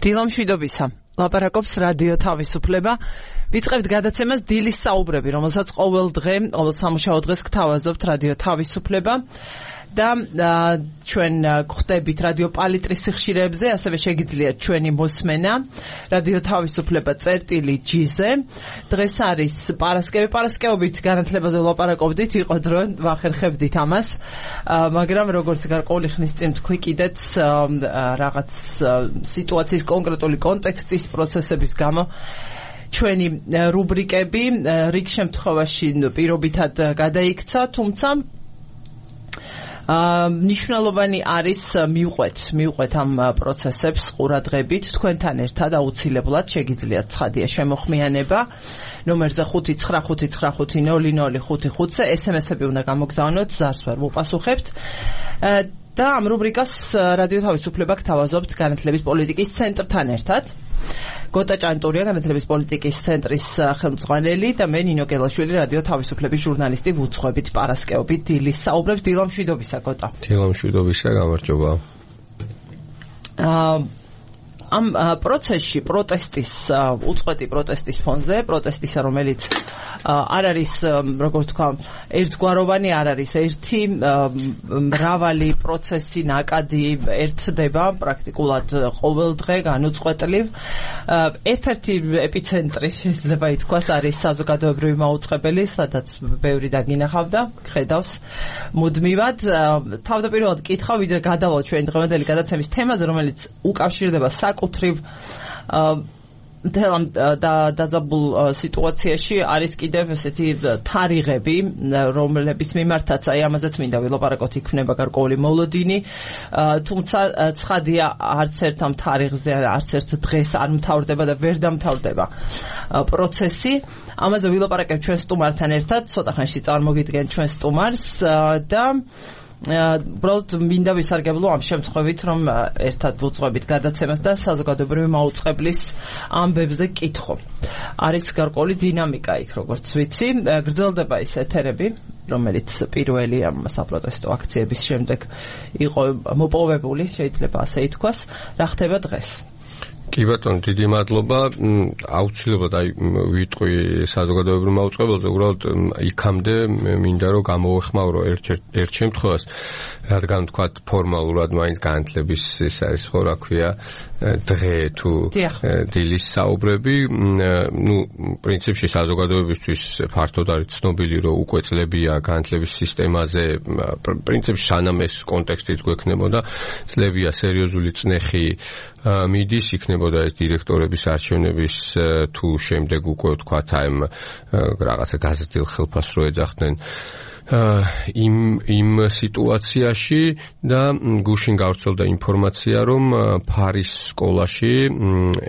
დილამშვიდობისა. ლაპარაკობს რადიო თავისუფლება. ვიწყებთ გადაცემას დილის საუბრები, რომელსაც ყოველ დღე, ყოველ სამუშაო დღეს გთავაზობთ რადიო თავისუფლება. და ჩვენ გვხვდებით რადიო პალიტრის სიხშირეებზე, ასევე შეგიძლიათ ჩვენი მოსმენა რადიო თავისუფლება წერტილი-G-ზე. დღეს არის პარასკევობით განათლებაზე ვლაპარაკობდით, იყო დრო ვახერხებდით ამას, მაგრამ როგორც გარკვეული ხნის წინ თქვი კიდეც რაღაც სიტუაციის კონკრეტული კონტექსტის პროცესების გამო ჩვენი რუბრიკები რიგ შემთხვევაში პირობითად გადაიქცა, თუმცა ნიშნულოვანი არის მივყვეთ ამ პროცესებს ყურადღებით თქვენთან ერთად აუცილებლად შეგიძლიათ ცხადია შემოხმიანება ნომერზე 595500555-ზე SMS-ები უნდა გამოგზავნოთ, ზარს ვერ მოპასუხებთ და ამ რუბრიკას რადიო თავისუფლება გთავაზობთ განათლების პოლიტიკის ცენტრთან ერთად. გოტა ჭანტურია, განათლების პოლიტიკის ცენტრის ხელმძღვანელი და მე ნინო გელაშვილი, რადიო თავისუფლების ჟურნალისტი, ვუძღვებით პარასკევობით დილის საუბრებს. დილამშვიდობისა, გოტა. დილამშვიდობისა, გამარჯობა. ამ პროცესში უწყვეტი პროტესტის ფონზე, პროტესტისა, რომელიც არ არის, როგორც თქვა, ერთგვაროვანი, არ არის ერთი, მრავალი პროცესი ნაკადი ერთდება პრაქტიკულად ყოველ დღე განუწყვეტლივ. ერთ-ერთი ეპიცენტრი შეიძლება ითქვას არის საზოგადოებრივი მაუწყებელი, სადაც ბევრი დაგინახავდა, ხედავს მუდმივად. თავდაპირველად კითხავ, ვიდრე გადავალ ჩვენი დღევანდელი გადაცემის თემაზე, რომელიც უკავშირდება საკუთრივ დაძაბულ სიტუაციაში არის კიდევ ესეთი თარიღები, რომლების მიმართაც აი ამაზეც მინდა ვილაპარაკოთ, იქნება გარკვეული მოლოდინი, თუმცა ცხადია არც ერთ ამ თარიღზე, არც ერთ დღეს არ მთავრდება და ვერ დამთავრდება პროცესი. ამაზე ვილაპარაკებ ჩვენ სტუმართან ერთად, ცოტა ხანში წარმოგიდგენ ჩვენ სტუმარს და უბრალოდ მინდა ვისარგებლო ამ შემთხვევით, რომ ერთად ვუძღვებით გადაცემას და საზოგადოებრივი მაუწყებლის ამბებზე კითხო. არის გარკვეული დინამიკა იქ, როგორც ვიცი, გრძელდება ის ეთერები, რომელიც პირველი ამ საპროტესტო აქციების შემდეგ იყო მოპოვებული, შეიძლება ასე ითქვას. რა ხდება დღეს? კი ბატონო, დიდი მადლობა. აუცილებლად ვიტყვი საზოგადოებრივ მაუწყებელზე, უბრალოდ იქამდე მინდა რომ გამოვეხმაურო ერთ შემთხვევას, რადგან თქვათ ფორმალურად მაინც განათლების ეს არის ხო რა ქვია დღე თუ დილის საუბრები, პრინციპში საზოგადოებისთვის ფართოდ არის ცნობილი, რომ უკვე წლებია განათლების სისტემაზე, პრინციპში სანამ ეს კონტექსტიც გვექნებოდა, წლებია სერიოზული წნეხი მიდის, იქნებოდა ეს დირექტორების არჩევნების თუ შემდეგ უკვე თქვათ აი რაღაცა გაზრდილ ხელფას რო ეძახდნენ იმ სიტუაციაში და გუშინ გავრცელდა ინფორმაცია, რომ ფარის სკოლაში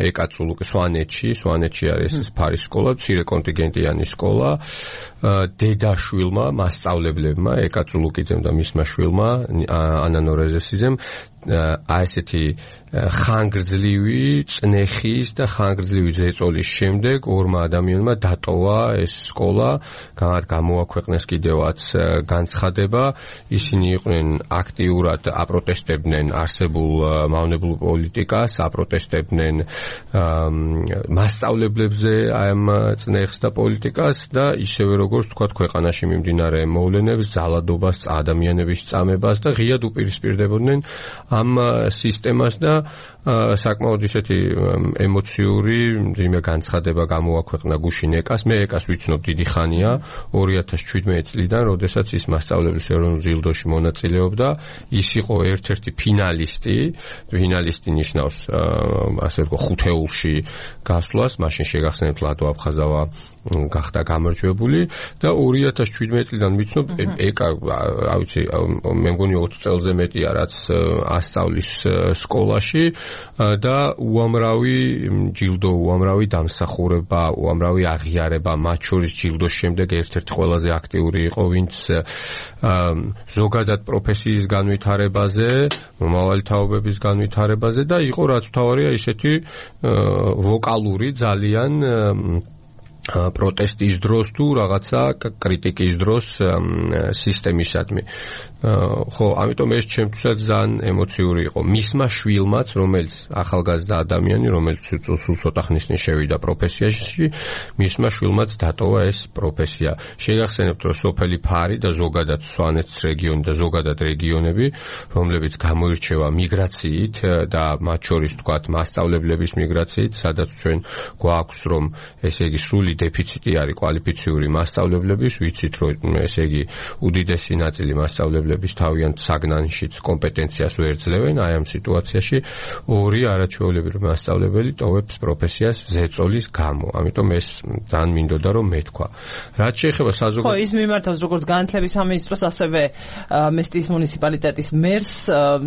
ეკაწულუკი სვანეთში არის ეს ფარის სკოლა, მცირე კონტინგენტიანი სკოლა, დედაშვილმა, მასწავლებლებმა, ეკაწულუკიძემ და მისმა შვილმა, ანანო რეზესიზემ ესეთი ხანგრძლივი წნეხის და ხანგრძლივი ზეწოლის შემდეგ ორმა ადამიანმა დატოვა ეს სკოლა, გამოაქვეყნეს კიდევაც განცხადება. ისინი იყვნენ აქტიურად აპროტესტებდნენ არსებულ მავნებელ პოლიტიკას, აპროტესტებდნენ მასწავლებლებზე ამ წნეხს და პოლიტიკას და ისევე როგორც თქვათ ქვეყანაში მიმდინარე მოვლენებს, ზალადობას, ადამიანების წამებას და ღიად უპირისპირდებოდნენ ამ სისტემას და საკმაოდ ისეთი ემოციური ძიმე განცხადება გამოაქვეყნა გუშინ ეკას. მე ეკას ვიცნობ დიდი ხანია, 2017 წლიდან, როდესაც ის მასწავლებლის ეროვნულ ჯილდოში მონაწილეობდა. ის იყო ერთ-ერთი ფინალისტი ნიშნავს ასე ვთქვათ ხუთეულში გასვლას, მაშინ შეგახსენებთ ლადო აფხაზავა გახდა გამარჯვებული და 2017 წლიდან ვიცნობ ეკა, რა ვიცი, მე მგონი 20 წელზე მეტია რაც ასწავლის სკოლაში და უამრავი ჯილდო, უამრავი დამსახურება, უამრავი აღიარება, მათ შორის ჯილდოს შემდეგ ერთ-ერთი ყველაზე აქტიური იყო, ვინც ზოგადად პროფესიის განვითარებაზე, მომავალი თაობების განვითარებაზე და იყო რაც მთავარია ისეთი ვოკალური ძალიან პროტესტის დროს თუ რაღაცა კრიტიკის დროს სისტემისადმი. ხო, ამიტომ ეს ჩემთვისაც ძალიან ემოციური იყო. მისმა შვილმაც, რომელიც ახალგაზრდა ადამიანი, რომელიც სულ ცოტა ხნისნი შევიდა პროფესიაში, მისმა შვილმაც დატოვა ეს პროფესია. შეგახსენებთ, რომ სოფელი ფარი და ზოგადად სვანეთის რეგიონი და ზოგადად რეგიონები, რომლებიც გამოირჩევა მიგრაციით და მათ შორის თქვათ მასწავლებლების მიგრაციით, სადაც ჩვენ გვაქვს რომ ესე იგი სრული დეფიციტი არის კვალიფიციური მასწავლებლების, ვიცით რომ ესე იგი უდიდესი ნაწილი მასწავლებლების თავიანთ საგნანშიც კომპეტენციას ვერ ძლევენ, აი ამ სიტუაციაში ორი არაჩვეულებრივი მასწავლებელი ტოვებს პროფესიას ზეწოლის გამო. ამიტომ ეს ძალიან მინდოდა რომ მეთქვა. რაც შეეხება საზოგადო ხო, ის მიმართავს როგორც განათლების სამინისტროს, ასევე მესტიის მუნიციპალიტეტის მერს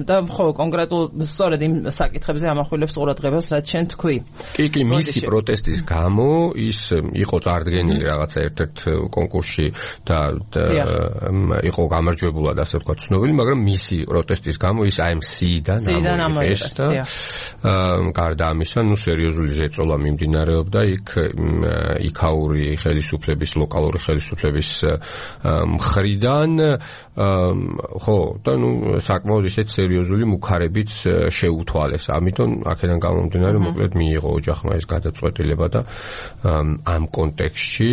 და ხო კონკრეტულ სწორედ იმ საკითხებზე ამახვილებს ყურადღებას, რაც შენ თქვი. კი, მისი პროტესტის გამო ის იყო წარდგენილი რაღაცა ერთ-ერთ კონკურსში და იყო გამარჯვებულად ასე ვთქვათ ცნობილი, მაგრამ მისი პროტესტის გამო ის IMC-დან ამოიღეს და გარდა ამისა, სერიოზული ზეწოლა მიმდინარეობდა იქაური ხელისუფლების, ლოკალური ხელისუფლების მხრიდან, ხო, და საკმაოდ ისეთ სერიოზული მუქარებიც შეუთვალეს. ამიტომ აქედან გამომდინარე მოკლედ მიიღო ოჯახმა ეს გადაწყვეტილება და ამ კონტექსტში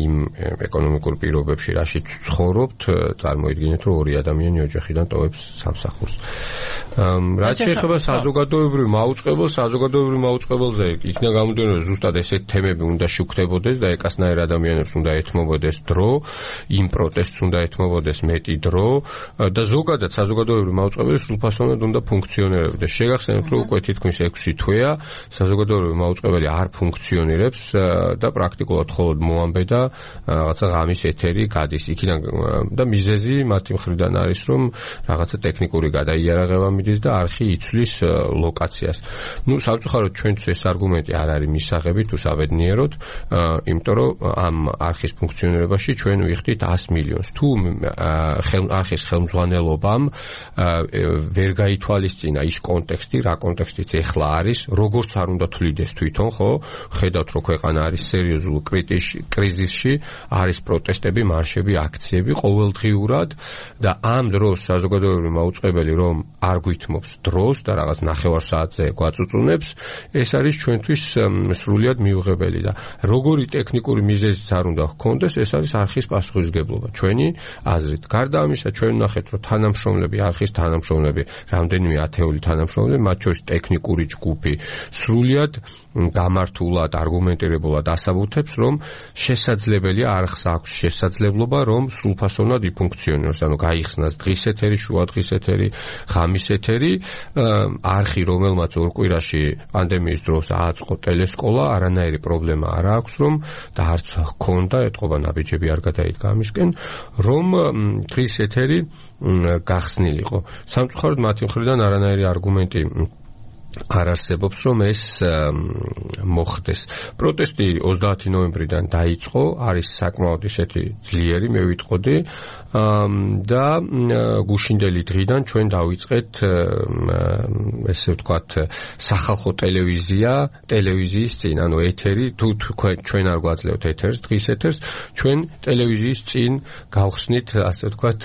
იმ ეკონომიკურ პირობებში რაშიც ცხოვრობთ, წარმოიდგინეთ, რომ ორი ადამიანი ოჯახიდან ტოვებს სამსახურს. რაც შეეხება საზოგადოებრივ მაუწყებელზე, იქნა გამომდინარე, რომ ზუსტად ესეთ თემები უნდა შუქდებოდეს და ეკასნაირ ადამიანებს უნდა ეთმობოდეს დრო, იმ პროტესტს უნდა ეთმობოდეს მეტი დრო და ზოგადად საზოგადოებრივ მაუწყებელი სრულფასოვნად უნდა ფუნქციონირებდეს. შეგახსენებთ, რომ უკვე თითქმის 6 თვეა საზოგადოებრივი მაუწყებელი არ ფუნქციონირებს და პრაქტიკულად მხოლოდ მოამბე და რაღაცა ღამის ეთერი გადის იქიდან და მიზეზი მათი მხრიდან არის რომ რაღაცა ტექნიკური გადაიარაღება მიდის და არხი იცვლის ლოკაციას. სამწუხაროდ ჩვენთვის ეს არგუმენტი არ არის მისაღები თუ საბედნიეროდ, იმიტომ რომ ამ არხის ფუნქციონირებაში ჩვენ ვიხდით 100 მილიონს. თუ არხის ხელმძღვანელობამ ვერ გაითვალისწინა ის კონტექსტი, რა კონტექსტიც ეხლა არის, როგორც არ უნდა თვლიდეს თვითონ, ხო? ხედავთ რომ ქვეყანა არის სერიოზულ კრიზისში, არის პროტესტები, მარშები, აქციები ყოველდღიურად და ამ დროს საზოგადოებრივი მაუწყებელი რომ არ გვითმობს დროს და რაღაც 9 საათზე გვაწუწუნებს, ეს არის ჩვენთვის სრულიად მიუღებელი და როგორი ტექნიკური მიზეზიც არ უნდა ჰქონდეს, ეს არის არხის პასუხისმგებლობა ჩვენი აზრით. გარდა ამისა, ჩვენ ვნახეთ, რომ თანამშრომლები, არხის თანამშრომლები, რამდენიმე ათეული თანამშრომლები, მათ შორის ტექნიკური ჯგუფი, სრულიად გამართულად, არგუმენტირებულად ასაბუთებს, რომ შესაძლებელია არხს აქვს შესაძლებლობა, რომ სრულფასოვნად იფუნქციონიროს, ანუ გაიხსნას დღის ეთერი, შუა დღის ეთერი, ღამის ეთერი, არხი, რომელმაც ორ კვირაში პანდემიის დროს ააწყო ტელესკოლა, არანაირი პრობლემა არ აქვს, რომ და არც ჰქონდა, ეთყობა ნაბიჯები არ გადაიდგა ამისკენ, რომ დღის ეთერი გახსნილიყო. სამწუხაროდ მათი მხრიდან არანაირი არგუმენტი არ არსებობს, რომ ეს მოხდეს. პროტესტი 30 ნოემბრიდან დაიწყო, არის საკმაოდ ისეთი ძლიერი, მე ვიტყოდი, და გუშინდელი დღიდან ჩვენ დავიწყეთ ესე ვთქვათ სახალხო ტელევიზიის წინ, ანუ ეთერი, თუ ჩვენ არ გვაძლევთ ეთერს, დღის ეთერს, ჩვენ ტელევიზიის წინ გავხსნით, ასე ვთქვათ,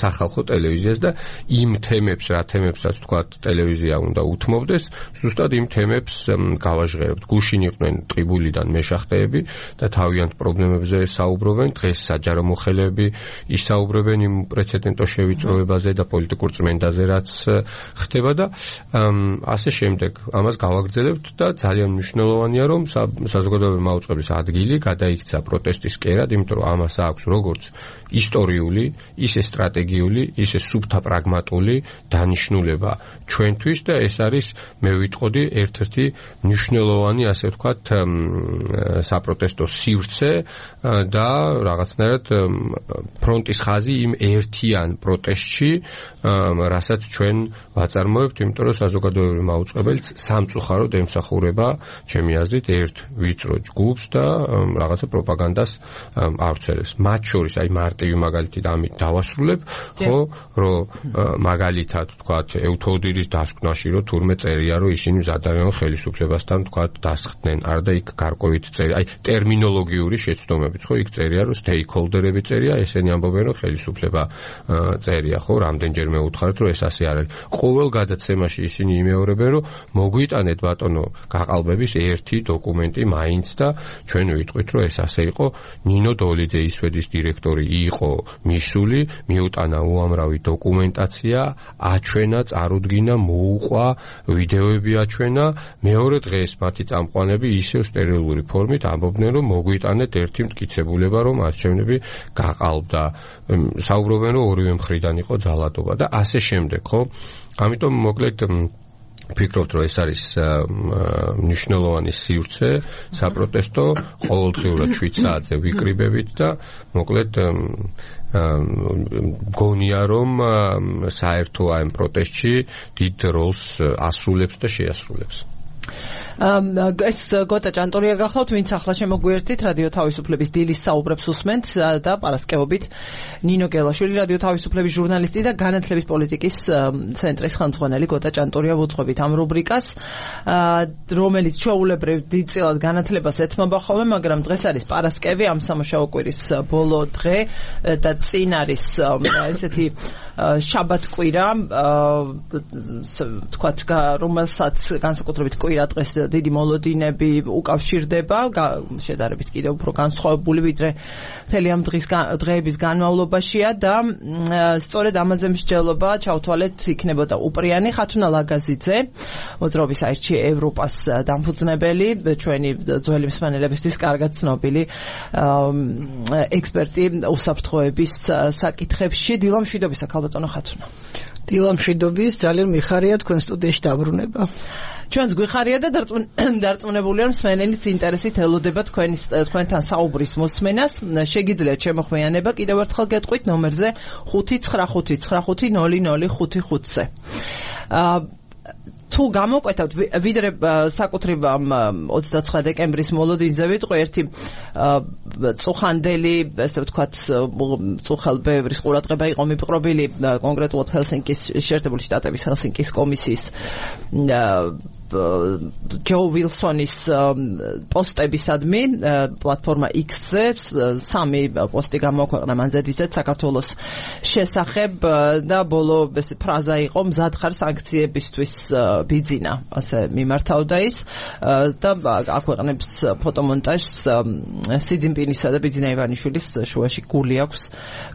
სახალხო ტელევიზიას და იმ თემებს, რა თემებსაც ვთქვათ, ტელევიზია უნდა უთმობდეს, ზუსტად იმ თემებს გავაჟღერებთ. გუშინ იყვნენ ტყიბულიდან მეშახტეები და თავიანთ პრობლემებზე საუბრობენ, დღეს საჯარო მოხელეები ისაუბრებენ იმ პრეცედენტო შევიწროებაზე და პოლიტიკურ წმენდაზე, რაც ხდება და ასე შემდეგ. ამას გავაგრძელებთ და ძალიან მნიშვნელოვანია, რომ საზოგადოებრივი მაუწყებლის ადგილი გადაიქცა პროტესტის კერად, იმიტომ რომ ამას აქვს როგორც ისტორიული, ისე სტრატეგიული, ისე სუფთა პრაგმატული დანიშნულება ჩვენთვის და ეს არის, მე ვიტყოდი, ერთ-ერთი მნიშვნელოვანი, ასე ვთქვათ, საპროტესტო სივრცე და რაღაცნაირად ფრონტის ხაზი იმ ერთიან პროტესტში, რასაც ჩვენ ვაწარმოებთ, იმიტომ რომ საზოგადოებრივი მაუწყებელიც სამწუხაროდ ემსახურება, ჩემი აზრით, ერთ ვიწრო ჯგუფს და რაღაცა პროპაგანდას ავრცელებს. მათ შორის აი მარტივი მაგალითი და ამით დავასრულებ, ხო, რომ მაგალითად ვთქვათ, ევთოდირის დასკვნაში, რომ თურმე თურმე წერია, რომ ისინი მზად არიან ხელისუფლებასთან თქვა დასხდნენ, არა და იქ გარკვევით წერია, აი ტერმინოლოგიური შეცდომებით, ხო, იქ წერია, რომ stakeholder-ები წერია, ესენი ამბობენ, რომ ხელისუფლება წერია, ხო, რამდენჯერმე უთხარით, რომ ეს ასე არ არის. ყოველ გადაცემაში ისინი იმეორებენ, რომ მოგვიტანეთ ბატონო გაყალბების ერთი დოკუმენტი მაინც და ჩვენ ვიტყვით, რომ ეს ასე იყო. ნინო დოლიძე ისვედის დირექტორი იყო მისული, მიუტანა უამრავი დოკუმენტაცია, აჩვენა, წარუდგინა, მოუყვა, ვიდეოები აჩვენა, მეორე დღეს მათი წამყვანები ისევ სტერილური ფორმით ამბობდნენ, რომ მოგვიტანეთ ერთი მტკიცებულება, რომ არჩევნები გაყალბდა. საუბრობენ, რომ ორივე მხრიდან იყო ძალადობა და ასე შემდეგ, ხო? ამიტომ მოკლედ ვფიქრობთ, რომ ეს არის მნიშვნელოვანი სივრცე საპროტესტო, ყოველდღიურად 7 საათზე ვიკრიბებით და მოკლედ გონია რომ საერთო ამ პროტესტში დიდ როლს ასრულებს და შეასრულებს. ეს გოტა ჭანტურია გახლავთ, ვინც ახლა შემოგვიერთით რადიო თავისუფლების დილის საუბრებს უსმენთ და პარასკევობით ნინო გელაშვილი, რადიო თავისუფლების ჟურნალისტი და განათლების პოლიტიკის ცენტრის ხელმძღვანელი გოტა ჭანტურია ვუძღვებით ამ რუბრიკას, რომელიც ჩვეულებრივ დიდწილად განათლებას ეთმობა ხოლმე, მაგრამ დღეს არის პარასკევი, ამ სამუშაო კვირის ბოლო დღე და წინ არის ესეთი შაბათ კვირა, თქვათ, რომელსაც განსაკუთრებით კვირა დღეს დიდი მოლოდინები უკავშირდება, შედარებით კიდევ უფრო განსხვავებული ვიდრე მთელი ამ დღეების განმავლობაშია და სწორედ ამაზე მსჯელობა ჩავთვალეთ იქნებოდა უპრიანი ხათუნა ლაგაზიძე, მოძრაობის აირჩი ევროპას დამფუძნებელი, ჩვენი ძველი მსმენელებისთვის კარგად ცნობილი ექსპერტი უსაფრთხოების საკითხებში. დილა მშვიდობისა, ქალბატონო ხათუნა. დილა მშვიდობის, ძალიან მიხარია თქვენ სტუდიაში დაბრუნება. ჩვენც გვიხარია და დარწმუნებული ვარ მსმენელიც ინტერესით ელოდება თქვენთან საუბრის მოსმენას. შეგიძლიათ შემოხვიანება კიდევ ერთხელ გეტყვით ნომერზე 595500555-ზე. თუ გამოკვეთავთ ვიდრე საკუთრივ 29 დეკემბრის მოლოდინზე ვიტყვი ერთი წუხანდელი, ესე ვთქვათ, წუხალბევრის ყურადღება იყო მიპყრობილი კონკრეტულად ჰელსინკის შეერთებული შტატების ჰელსინკის კომისიის ჯო ვილსონის პოსტებისადმი პლატფორმა X-ზე 3 პოსტი გამოაქვეყნა მანზედიზეთ საქართველოს შესახებ და ბოლო ფრაზა იყო მზად ხარ სანქციებისთვის ბიძინა, ასე მიმართავდა ის და აქვეყნებს ფოტომონტაჟს სიძინპინისა და ბიძინა ივანიშვილის შუაში გული აქვს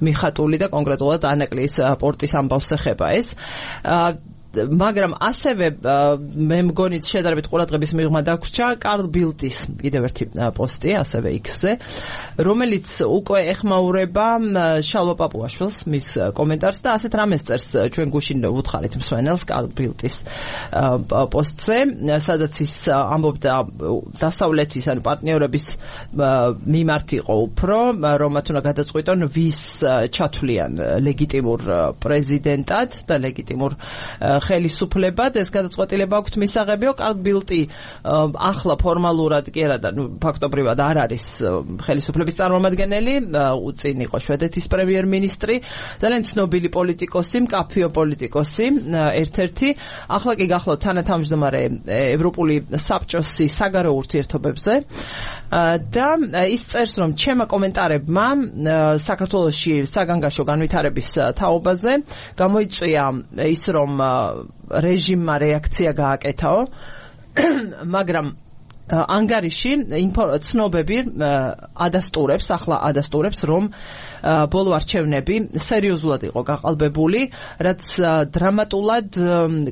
მიხატული და კონკრეტულად ანაკლის პორტის ამბავს ეხება ეს. მაგრამ ასევე მე მგონი შედარებით ყურადღების მიღმა დაგვრჩა კარლ ბილტის კიდევ ერთი პოსტი ასევე X-ზე, რომელიც უკვე ეხმაურება შალვა პაპუაშვილს მის კომენტარს და ასეთ რამეს წერს ჩვენ გუშინ ვუთხარით მსმენელს კარლ ბილტის პოსტზე, სადაც ის ამბობდა დასავლეთის ან პარტნიორების მიმართ იყო უფრო, რომ მათ უნდა გადაწყვიტონ ვის ჩათვლიან ლეგიტიმურ პრეზიდენტად და ლეგიტიმურ ხელისუფლებად. ეს გადაწყვეტილება აქვთ მისაღებიო. კარლ ბილტი ახლა ფორმალურად კი არა და ფაქტობრივად არ არის ხელისუფლების წარმომადგენელი, უწინ იყო შვედეთის პრემიერ-მინისტრი, ძალიან ცნობილი პოლიტიკოსი, მკაფიო პოლიტიკოსი, ერთ-ერთი. ახლა კი გახლავთ თანათავმჯდომარე ევროპული საბჭოს საგარეო ურთიერთობებზე და ის წერს, რომ ჩემმა კომენტარებმა საქართველოში საგანგაშო განვითარების თაობაზე გამოიწვია ის, რომ რეჟიმმა რეაქცია გააკეთაო, მაგრამ ანგარიში ცნობები ადასტურებს, რომ ბოლო არჩევნები სერიოზულად იყო გაყალბებული, რაც დრამატულად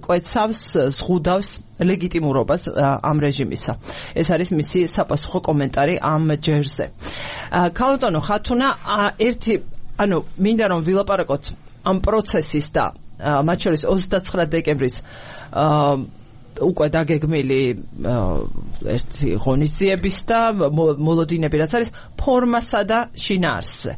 კვეთავს, ზღუდავს ლეგიტიმურობას ამ რეჟიმისა. ეს არის მისი საპასუხო კომენტარი ამ ჯერზე. ქალბატონო ხათუნა, მინდა რომ ვილაპარაკოთ ამ პროცესის და მათ შორის 29 დეკემბრის უკვე დაგეგმილი ერთი ღონისძიების და მოლოდინები, რაც არის ფორმასა და შინაარსზე.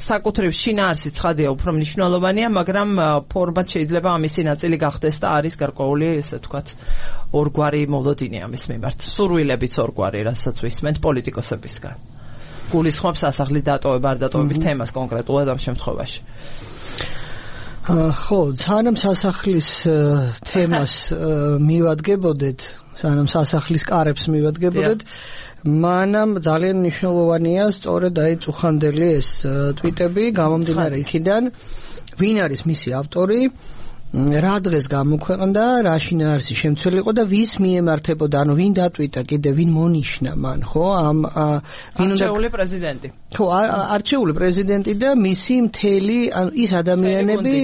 საკუთრივ შინაარსი ცხადია უფრო მნიშვნელოვანია, მაგრამ ფორმაც შეიძლება ამისი ნაწილი გახდეს და არის გარკვეული, ესე ვთქვათ, ორგვარი მოლოდინი ამის მიმართ. სურვილებიც ორგვარი, რასაც ვისმენთ პოლიტიკოსებისგან. გულისხმობს სასახლის დატოვება, არ დატოვების თემას კონკრეტულად ამ შემთხვევაში. ხო, სანამ სასახლის თემას მივადგებოდეთ, სანამ სასახლის კარებს მივადგებოდეთ, მანამ ძალიან მნიშვნელოვანია სწორედ აი წუხანდელი ეს ტვიტები გამომდინარე იქიდან, ვინ არის მისი ავტორი, რა დღეს გამოქვეყნდა, რა შინაარსი შემცველი იყო და ვის მიემართებოდა, ანუ ვინ დატვიტა კიდე, ვინ მონიშნა მან, ხო? არჩეული პრეზიდენტი. ხო, არჩეული პრეზიდენტი და მისი მთელი, ანუ ის ადამიანები,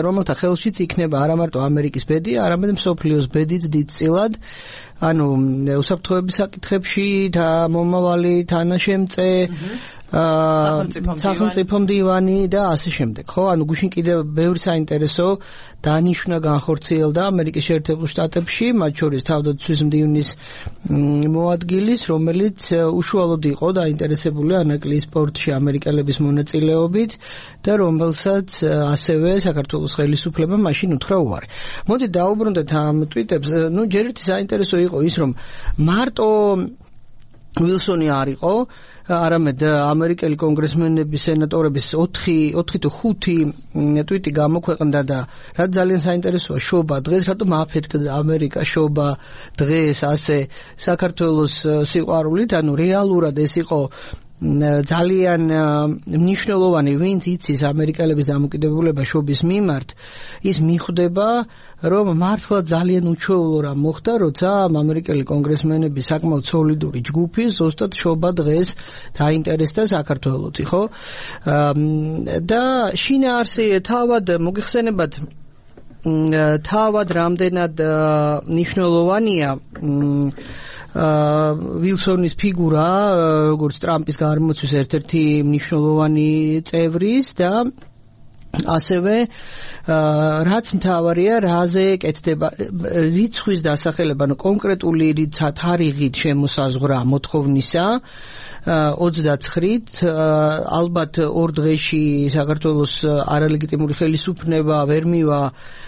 რომელთა ხელშიც იქნება არა მარტო ამერიკის ბედი, არამედ მსოფლიოს ბედიც დიდწილად, ანუ უსაფრთხოების საკითხებში და მომავალი თანაშემწე სახელმწიფო მდივანი და ასე შემდეგ, ხო? ანუ გუშინ კიდევ ბევრი საინტერესო დანიშვნა განხორციელდა ამერიკის შეერთებულ შტატებში, მათ შორის თავდაცვის მდივნის მოადგილის, რომელიც უშუალოდ იყო დაინტერესებული ანაკლიის სპორტში ამერიკელების მონაწილეობით და რომელსაც ასევე საქართველოს ხელისუფლებამ მაშინ უთხრა უარი. მოდით დაუბრუნდეთ ამ ტვიტებს. ჯერ ერთი საინტერესო იყო ის, რომ მარტო ვილსონი არ იყო, არამედ ამერიკელი კონგრესმენების, სენატორების 4 თუ 5 ტვიტი გამოქვეყნდა და რაც ძალიან საინტერესოა, შობა დღეს, რატომ აფეთქდა ამერიკა შობა დღეს ასე საქართველოს სიყვარულით, ანუ რეალურად ეს იყო ძალიან მნიშვნელოვანი, ვინც იცის ამერიკელების დამოკიდებულება შობის მიმართ, ის მიხვდება, რომ მართლა ძალიან უჩვეულო რამ მოხდა, როცა ამერიკელი კონგრესმენები საკმაოდ სოლიდური ჯგუფი ზუსტად შობა დღეს დაინტერესდა საქართველოთი, ხო? და შინაარსი თავად მოგიხსენებათ, თავად რამდენად მნიშვნელოვანია ვილსონის ფიგურა, როგორც ტრამპის გარემოცვის ერთ-ერთი მნიშვნელოვანი წევრის და ასევე რაც მთავარია, რაზე კეთდება რიცხვის დასახელება, ანუ კონკრეტული თარიღით შემოსაზღვრა მოთხოვნისა 29-ით, ალბათ 2 დღეში საქართველოს არალეგიტიმური ხელისუფლება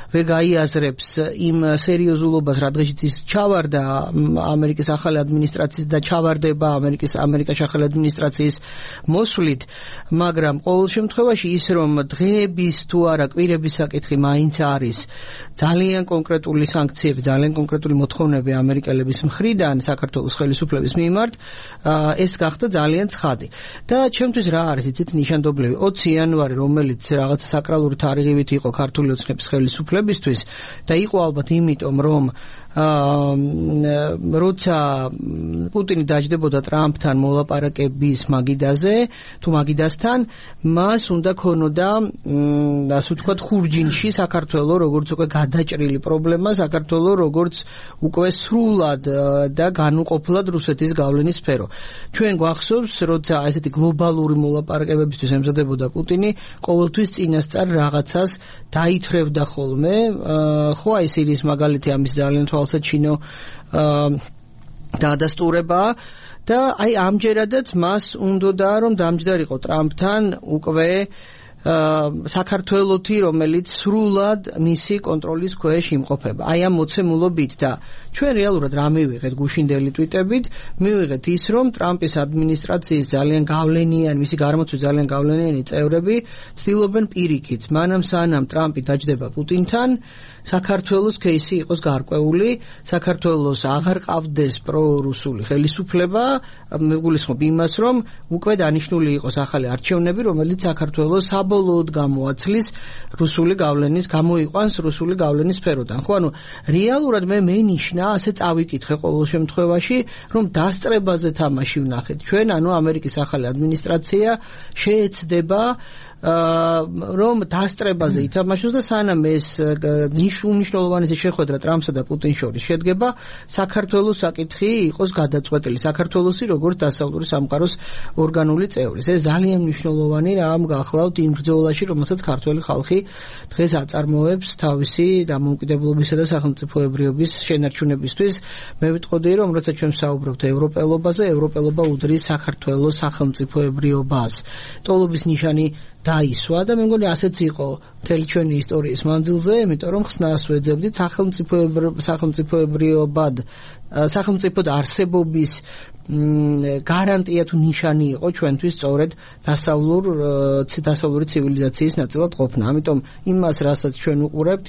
ვერ გაიაზრებს იმ სერიოზულობას, რა დღეშიც ის ჩავარდა ამერიკის ახალი ადმინისტრაციის და ჩავარდება ამერიკის ახალი ადმინისტრაციის მოსვლით, მაგრამ ყოველ შემთხვევაში ის, რომ დღეების თუ არა კვირების საკითხი მაინც არის ძალიან კონკრეტული სანქციები, ძალიან კონკრეტული მოთხოვნები ამერიკელების მხრიდან საქართველოს ხელისუფლების მიმართ, ეს გახდა ძალიან ცხადი. და ჩემთვის რა არის იცით ნიშანდობლივი 20 იანვარი, რომელიც რაღაც საკრალური თარიღივით იყო ქართული ოცნების ხელისუფლებისთვის და იყო ალბათ იმიტომ, რომ როცა პუტინი დაждდებოდა ტრამპთან მოლაპარაკების მაგიდაზე, თუ მაგიდასთან, მას უნდა ქონოდა, ასე ვთქვათ, ხურჯინში საქართველოს როგორც უკვე გადაჭრილი პრობლემა, საქართველოს როგორც უკვე სრულად და განუყოფლად რუსეთის გავლენის სფერო. ჩვენ გვახსოვს, როცა ესეთი გლობალური მოლაპარაკებებისთვის ემზადებოდა პუტინი, ყოველთვის წინასწარ რაღაცას დაითრევდა ხოლმე, ხო, აი სირიის მაგალითი ამის ძალიან თვალსაჩინო დადასტურება და აი ამჯერადაც მას უნდოდა რომ დამჯდარიყო ტრამპთან უკვე საქართველოთი, რომელიც სრულად მისი კონტროლის ქვეშ იმყოფება. აი ამ მოცემულობით და ჩვენ რეალურად რა მივიღეთ გუშინდელი ტვიტებით, მივიღეთ ის, რომ ტრამპის ადმინისტრაციის ძალიან გავლენიანი, მისი გარემოცვის ძალიან გავლენიანი წევრები ცდილობენ პირიქით, მანამ სანამ ტრამპი დაჯდება პუტინთან, საქართველოს кейსი იყოს გარკვეული, საქართველოს აღარ ყავდეს პრორუსული ხელისუფლება, მეგულისხმობ იმას, რომ უკვე დანიშნული იყოს ახალი არჩევნები, რომელიც საქართველოს საბოლოოდ გამოაცლის რუსული გავლენის, გამოიყვანს რუსული გავლენის სფეროდან. ხო, ანუ რეალურად მე მენიშნა, ასე წავიკითხე ყოველ შემთხვევაში, რომ დასწრებაზე თამაში ვნახეთ. ჩვენ, ანუ ამერიკის ახალი ადმინისტრაცია შეეცდება რომ დასწრებაზე ითამაშოს და სანამ ეს უნიშნულოვანი შეხვედრა ტრამპსა და პუტინს შორის შედგება, საქართველოს საკითხი იყოს გადაწყვეტილი, საქართველოსი როგორც დასავლური სამყაროს ორგანული წევრი. ეს ძალიან მნიშვნელოვანი რამ გახლავთ იმ ბრძოლაში, რომელსაც ქართველი ხალხი დღეს აწარმოებს თავისი დამოუკიდებლობისა და სახელმწიფოებრიობის შენარჩუნებისთვის. მე ვიტყოდი, რომ როცა ჩვენ ვსაუბრობთ ევროპელობაზე, ევროპელობა უდრის საქართველოს სახელმწიფოებრიობას. ტოლობის ნიშანი დაისვა და მე მგონი ასეც იყო მთელი ჩვენი ისტორიის მანძილზე, იმიტომ რომ ხსნას ვეძებდით სახელმწიფოდ არსებობის გარანტია თუ ნიშანი იყო ჩვენთვის სწორედ დასავლური ცივილიზაციის ნაწილად ყოფნა. ამიტომ იმას, რასაც ჩვენ უყურებთ,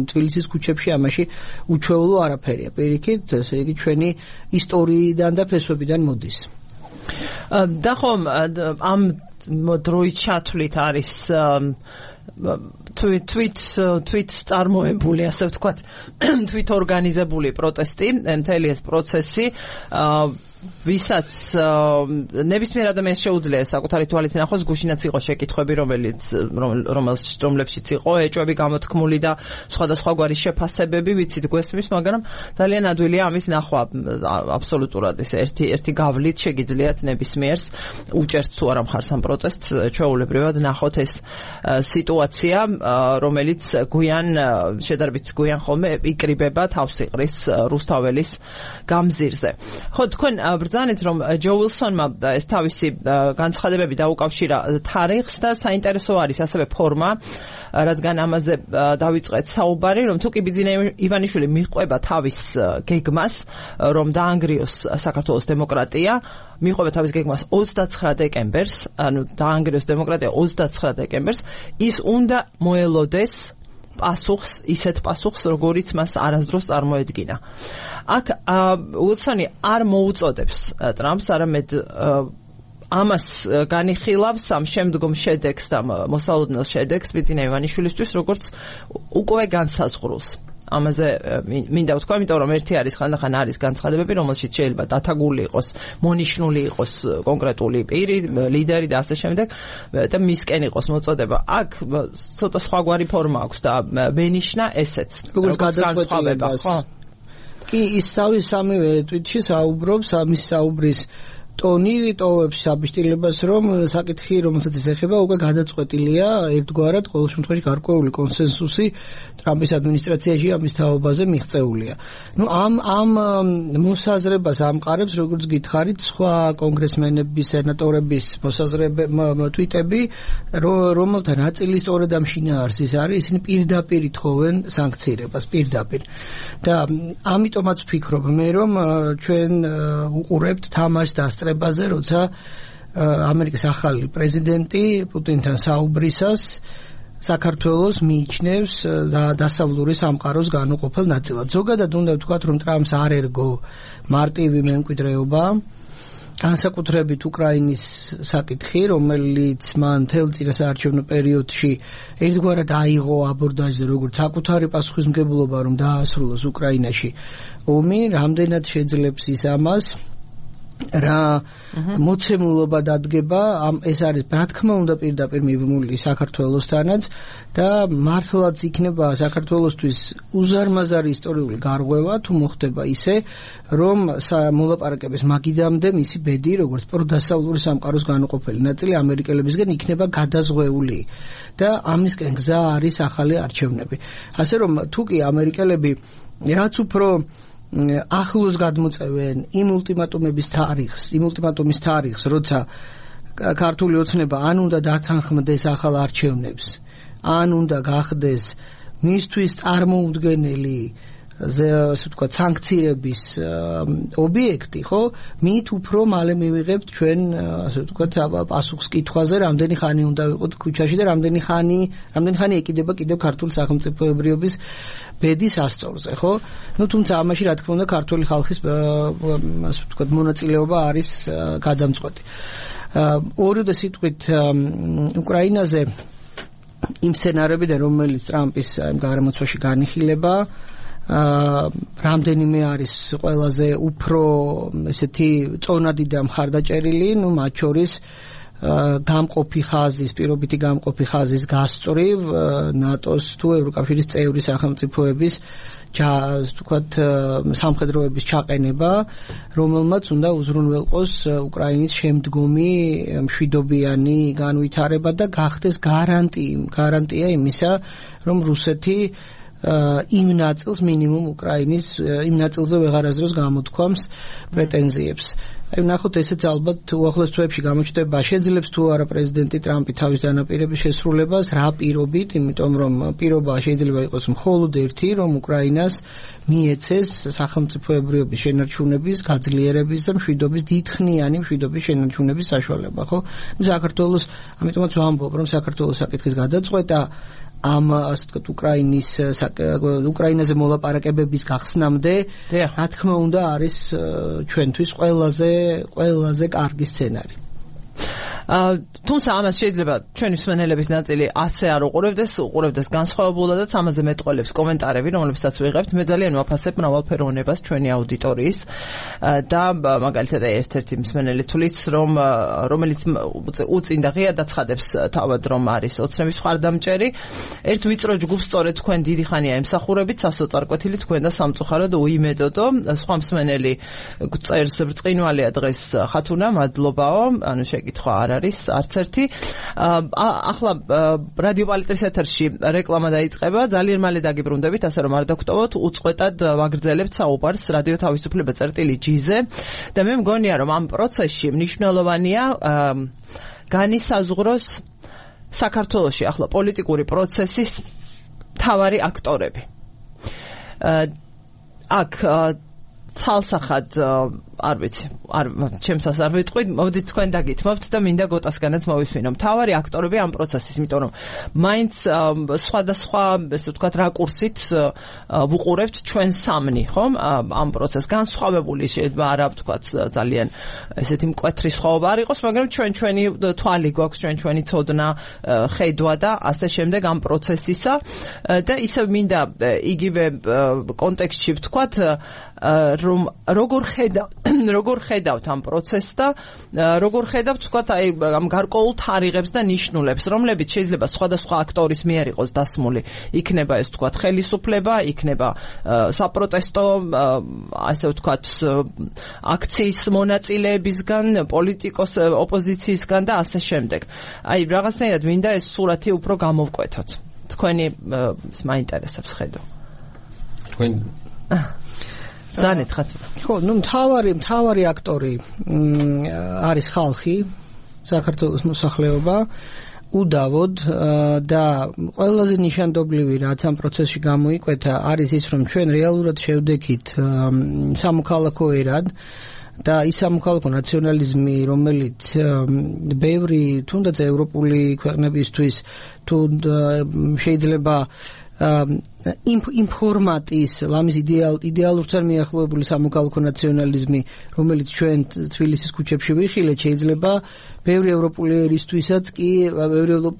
თბილისის ქუჩებში ამაში უჩვეულო არაფერია. პირიქით, ესე იგი ჩვენი ისტორიიდან და ფესვებიდან მოდის. და ხომ ამ დროით ჩათვლით არის თვით წარმოებული, ასე ვთქვათ, თვით ორგანიზებული პროტესტი, მთელი ეს პროცესი, ვისაც ნებისმიერ ადამიანს შეუძლია საკუთარი თვალით ნახოს, გუშინაც იყო შეკითხვები, რომლებშიც იყო ეჭვები გამოთქმული და სხვადასხვაგვარი შეფასებები, ვიცით გვესმის, მაგრამ ძალიან ადვილია ამის ნახვა. აბსოლუტურად ეს ერთი გავლით შეგიძლიათ ნებისმიერს, უჭერთ თუ არა მხარს ამ პროტესტს, ჩვეულებრივად ნახოთ ეს სიტუაცია, რომელიც შედარებით გვიან ხოლმე იკრიბება თავს იყრის რუსთაველის გამზირზე. ხო, თქვენ ბრძანეთ, რომ ჯო უილსონმა ეს თავისი განცხადებები დაუკავშირა თარიღს და საინტერესო არის ასევე ფორმა, რადგან ამაზე დავიწყეთ საუბარი, რომ თუ კი ბიძინა ივანიშვილი მიყვება თავის გეგმას, რომ დაანგრიოს საქართველოს დემოკრატია, მიყვება თავის გეგმას 29 დეკემბერს, ანუ დაანგრიოს დემოკრატია 29 დეკემბერს, ის უნდა მოელოდეს ისეთ პასუხს, როგორიც მას არასდროს წარმოედგინა. აქ უილსონი არ მოუწოდებს ტრამპს, არამედ ამას განიხილავს ამ შემდგომ შედეგს და მოსალოდნელ შედეგს ბიძინა ივანიშვილისთვის, როგორც უკვე განსაზღვრულს. ამაზე მინდა ვთქვა, იმიტომ რომ ერთი არის ხანდახან არის განცხადებები, რომელშიც შეიძლება დათაგული იყოს, მონიშნული იყოს კონკრეტული პირი, ლიდერი და ასე შემდეგ და მისკენ იყოს მოწოდება. აქ ცოტა სხვაგვარი ფორმა აქვს და მენიშნა ესეც. როგორც გადაწყვეტილებას. კი, ის სამივე ტვიტში საუბრობს, ამის საუბრის ტონი ტოვებს საბიშტილებას, რომ საკითხი, რომელსაც ის ეხება, უკვე გადაწყვეტილია ერთგვარად, ყოველ შემთხვევაში გარკვეული კონსენსუსი ტრამპის ადმინისტრაციაში ამის თაობაზე მიღწეულია. ამ მოსაზრებას ამყარებს, როგორც გითხარით, სხვა კონგრესმენების, სენატორების ტვიტები, რომელთა ნაწილი სწორედ ამ შინაარსის არის, ისინი პირდაპირ ითხოვენ სანქცირებას, პირდაპირ. და ამიტომაც ვფიქრობ მე, რომ ჩვენ უყურებთ თამაშს დასწრებაზე, როცა ამერიკის ახალი პრეზიდენტი პუტინთან საუბრისას საქართველოს მიიჩნევს დასავლური სამყაროს განუყოფელ ნაწილად. ზოგადად უნდა ვთქვათ, რომ ტრამპს არ ერგო მარტივი მემკვიდრეობა, განსაკუთრებით უკრაინის საკითხი, რომელიც მან მთელ წინასაარჩევნო პერიოდში ერთგვარად აიღო აბორდაჟზე, როგორც საკუთარი პასუხისმგებლობა, რომ დაასრულოს უკრაინაში ომი, რამდენად შეძლებს ის ამას, რა მოცემულობა დადგება, ეს არის რა თქმა უნდა პირდაპირ მიბმული საქართველოსთანაც და მართლაც იქნება საქართველოსთვის უზარმაზარი ისტორიული გარღვევა, თუ მოხდება ისე, რომ მოლაპარაკების მაგიდამდე მისი ბედი, როგორც პროდასავლური სამყაროს განუყოფელი ნაწილი ამერიკელებისგან იქნება გადაზღვეული და ამისკენ გზა არის ახალი არჩევნები. ასე რომ თუ კი ამერიკელები რაც უფრო ახლოს გადმოწევენ იმ ულტიმატუმის თარიღს, როცა ქართული ოცნება ან უნდა დათანხმდეს ახალ არჩევნებს, ან უნდა გახდეს მისთვის წარმოუდგენელი ასე ვთქვათ სანქციების ობიექტი, ხო? მით უფრო მალე მივიღებთ ჩვენ ასე ვთქვათ პასუხს კითხვაზე, რამდენი ხანი უნდა ვიყოთ ქუჩაში და რამდენი ხანი ეკიდება კიდევ ქართული სახელმწიფოებრიობის ბედის ასწორზე, ხო? თუმცა ამაში რა თქმა უნდა ქართული ხალხის ასე ვთქვათ მონაწილეობა არის გადამწყვეტი. ორივე სიტყვით უკრაინაზე იმ სცენარებიდან, რომელიც ტრამპის გარემოცვაში განიხილება, რამდენიმე არის ყველაზე უფრო ესეთი წონადი და მხარდაჭერილი, მათ შორის პირობითი გამყოფი ხაზის გასწვრივ ნატოს თუ ევროკავშირის წევრი სახელმწიფოების ვთქვათ სამხედროების ჩაყენება, რომელმაც უნდა უზრუნველყოს უკრაინის შემდგომი მშვიდობიანი განვითარება და გახდეს გარანტია იმისა, რომ რუსეთი იმ ნაწილს მინიმუმ უკრაინის იმ ნაწილზე ვეღარასდროს გამოთქვამს პრეტენზიებს. აი ნახოთ ესეც ალბათ უახლოეს თვეებში გამოჩნდება შეძლებს თუ არა პრეზიდენტი ტრამპი თავის დანაპირების შესრულებას რა პირობით, იმიტომ რომ პირობა შეიძლება იყოს მხოლოდ ერთი, რომ უკრაინას მიეცეს სახელმწიფოებრიობის შენარჩუნების, გაძლიერების და მშვიდობის დიდხნიანი მშვიდობის შენარჩუნების საშუალება, ხო? საქართველოს, ამიტომაც ვამბობ, რომ საქართველოს საკითხის გადაწყვეტა ამ ასე ვთქვათ უკრაინაზე მოლაპარაკებების გახსნამდე რა თქმა უნდა არის ჩვენთვის ყველაზე კარგი სცენარი. თუმცა ამას შეიძლება ჩვენი მსმენელების ნაწილი ასე არ უყურებდეს განსხვავებულადაც ამაზე მეტყველებს კომენტარები, რომლებსაც ვიღებთ. მე ძალიან ვაფასებ მრავალფეროვნებას ჩვენი აუდიტორიის და მაგალითად ერთ-ერთი მსმენელი თulis რომელიც უწინ და ღია დაცხადებს თავად რომ არის ოცნების მხარდამჭერი. ერთ ვიწრო ჯგუფს სწორედ თქვენ დიდი ხანია ემსახურებით, სასოწარკვეთილი თქვენ და სამწუხაროდ უიმედოდო. სხვა მსმენელი წერს ბრწყინვალეა დღეს ხათუნა, მადლობაო, ანუ შეკითხვა არ არის არც ერთი. ახლა რადიო პალიტრის ეთერში რეკლამა დაიწყება, ძალიან მალე დაგიბრუნდებით, ასე რომ არ დაგხვდობოთ, უწყვეტად ვაგრძელებთ საუბარს რადიო თავისუფლება წერტილი-G-ზე და მე მგონია რომ ამ პროცესში მნიშვნელოვანია განისაზღვროს საქართველოში ახლა პოლიტიკური პროცესის მთავარი აქტორები. აქ ცალსახად არ ვიცი, ჩემსას არ ვიტყვით, მოდით თქვენ დაგითმობთ და მინდა გოტასგანაც მოვისმინო. მთავარი აქტორები ამ პროცესის, იმიტომ რომ მაინც სხვადასხვა, ესე ვთქვათ, რაკურსით ვუყურებთ ჩვენ სამნი, ხომ? ამ პროცესს განსხვავებული შეიძლება არა ვთქვათ ძალიან ესეთი მკვეთრი სხვაობა არ იყოს, მაგრამ ჩვენი თვალი გვაქვს, ჩვენი ცოდნა, ხედვა და ასე შემდეგ ამ პროცესისა და ისევ მინდა იგივე კონტექსტში ვთქვათ, რომ როგორ ხედავთ ამ პროცესს და როგორ ხედავთ თქვათ აი ამ გარკვეულ თარიღებს და ნიშნულებს, რომლებიც შეიძლება სხვადასხვა აქტორის მიერ იყოს დასმული. იქნება ეს თქვათ ხელისუფლება, იქნება საპროტესტო, ასე ვთქვათ, აქციის მონაწილეებისგან, პოლიტიკოს ოპოზიციისგან და ასე შემდეგ. აი რაღაცნაირად მინდა ეს სურათი უფრო გამოვკვეთოთ. თქვენი მაინტერესებს ხედო. თქვენ ზანეთ ხათ. ხო, მთავარი აქტორი არის ხალხი, საქართველოს მოსახლეობა, უდავოდ და ყველაზე ნიშანდობლივი რაც ამ პროცესში გამოიკვეთა არის ის, რომ ჩვენ რეალურად შევდექით სამოქალაქო ერად და ის სამოქალაქო ნაციონალიზმი, რომელიც ბევრი თუნდაც ევროპული ქვეყნებისთვის თუ შეიძლება ინფორმატის ლამის იდეალურთან მიახლოებული სამოქალაქო ნაციონალიზმი, რომელიც ჩვენ თბილისის ქუჩებში ვიხილეთ, შეიძლება ბევრი ევროპული ერისთვისაც კი,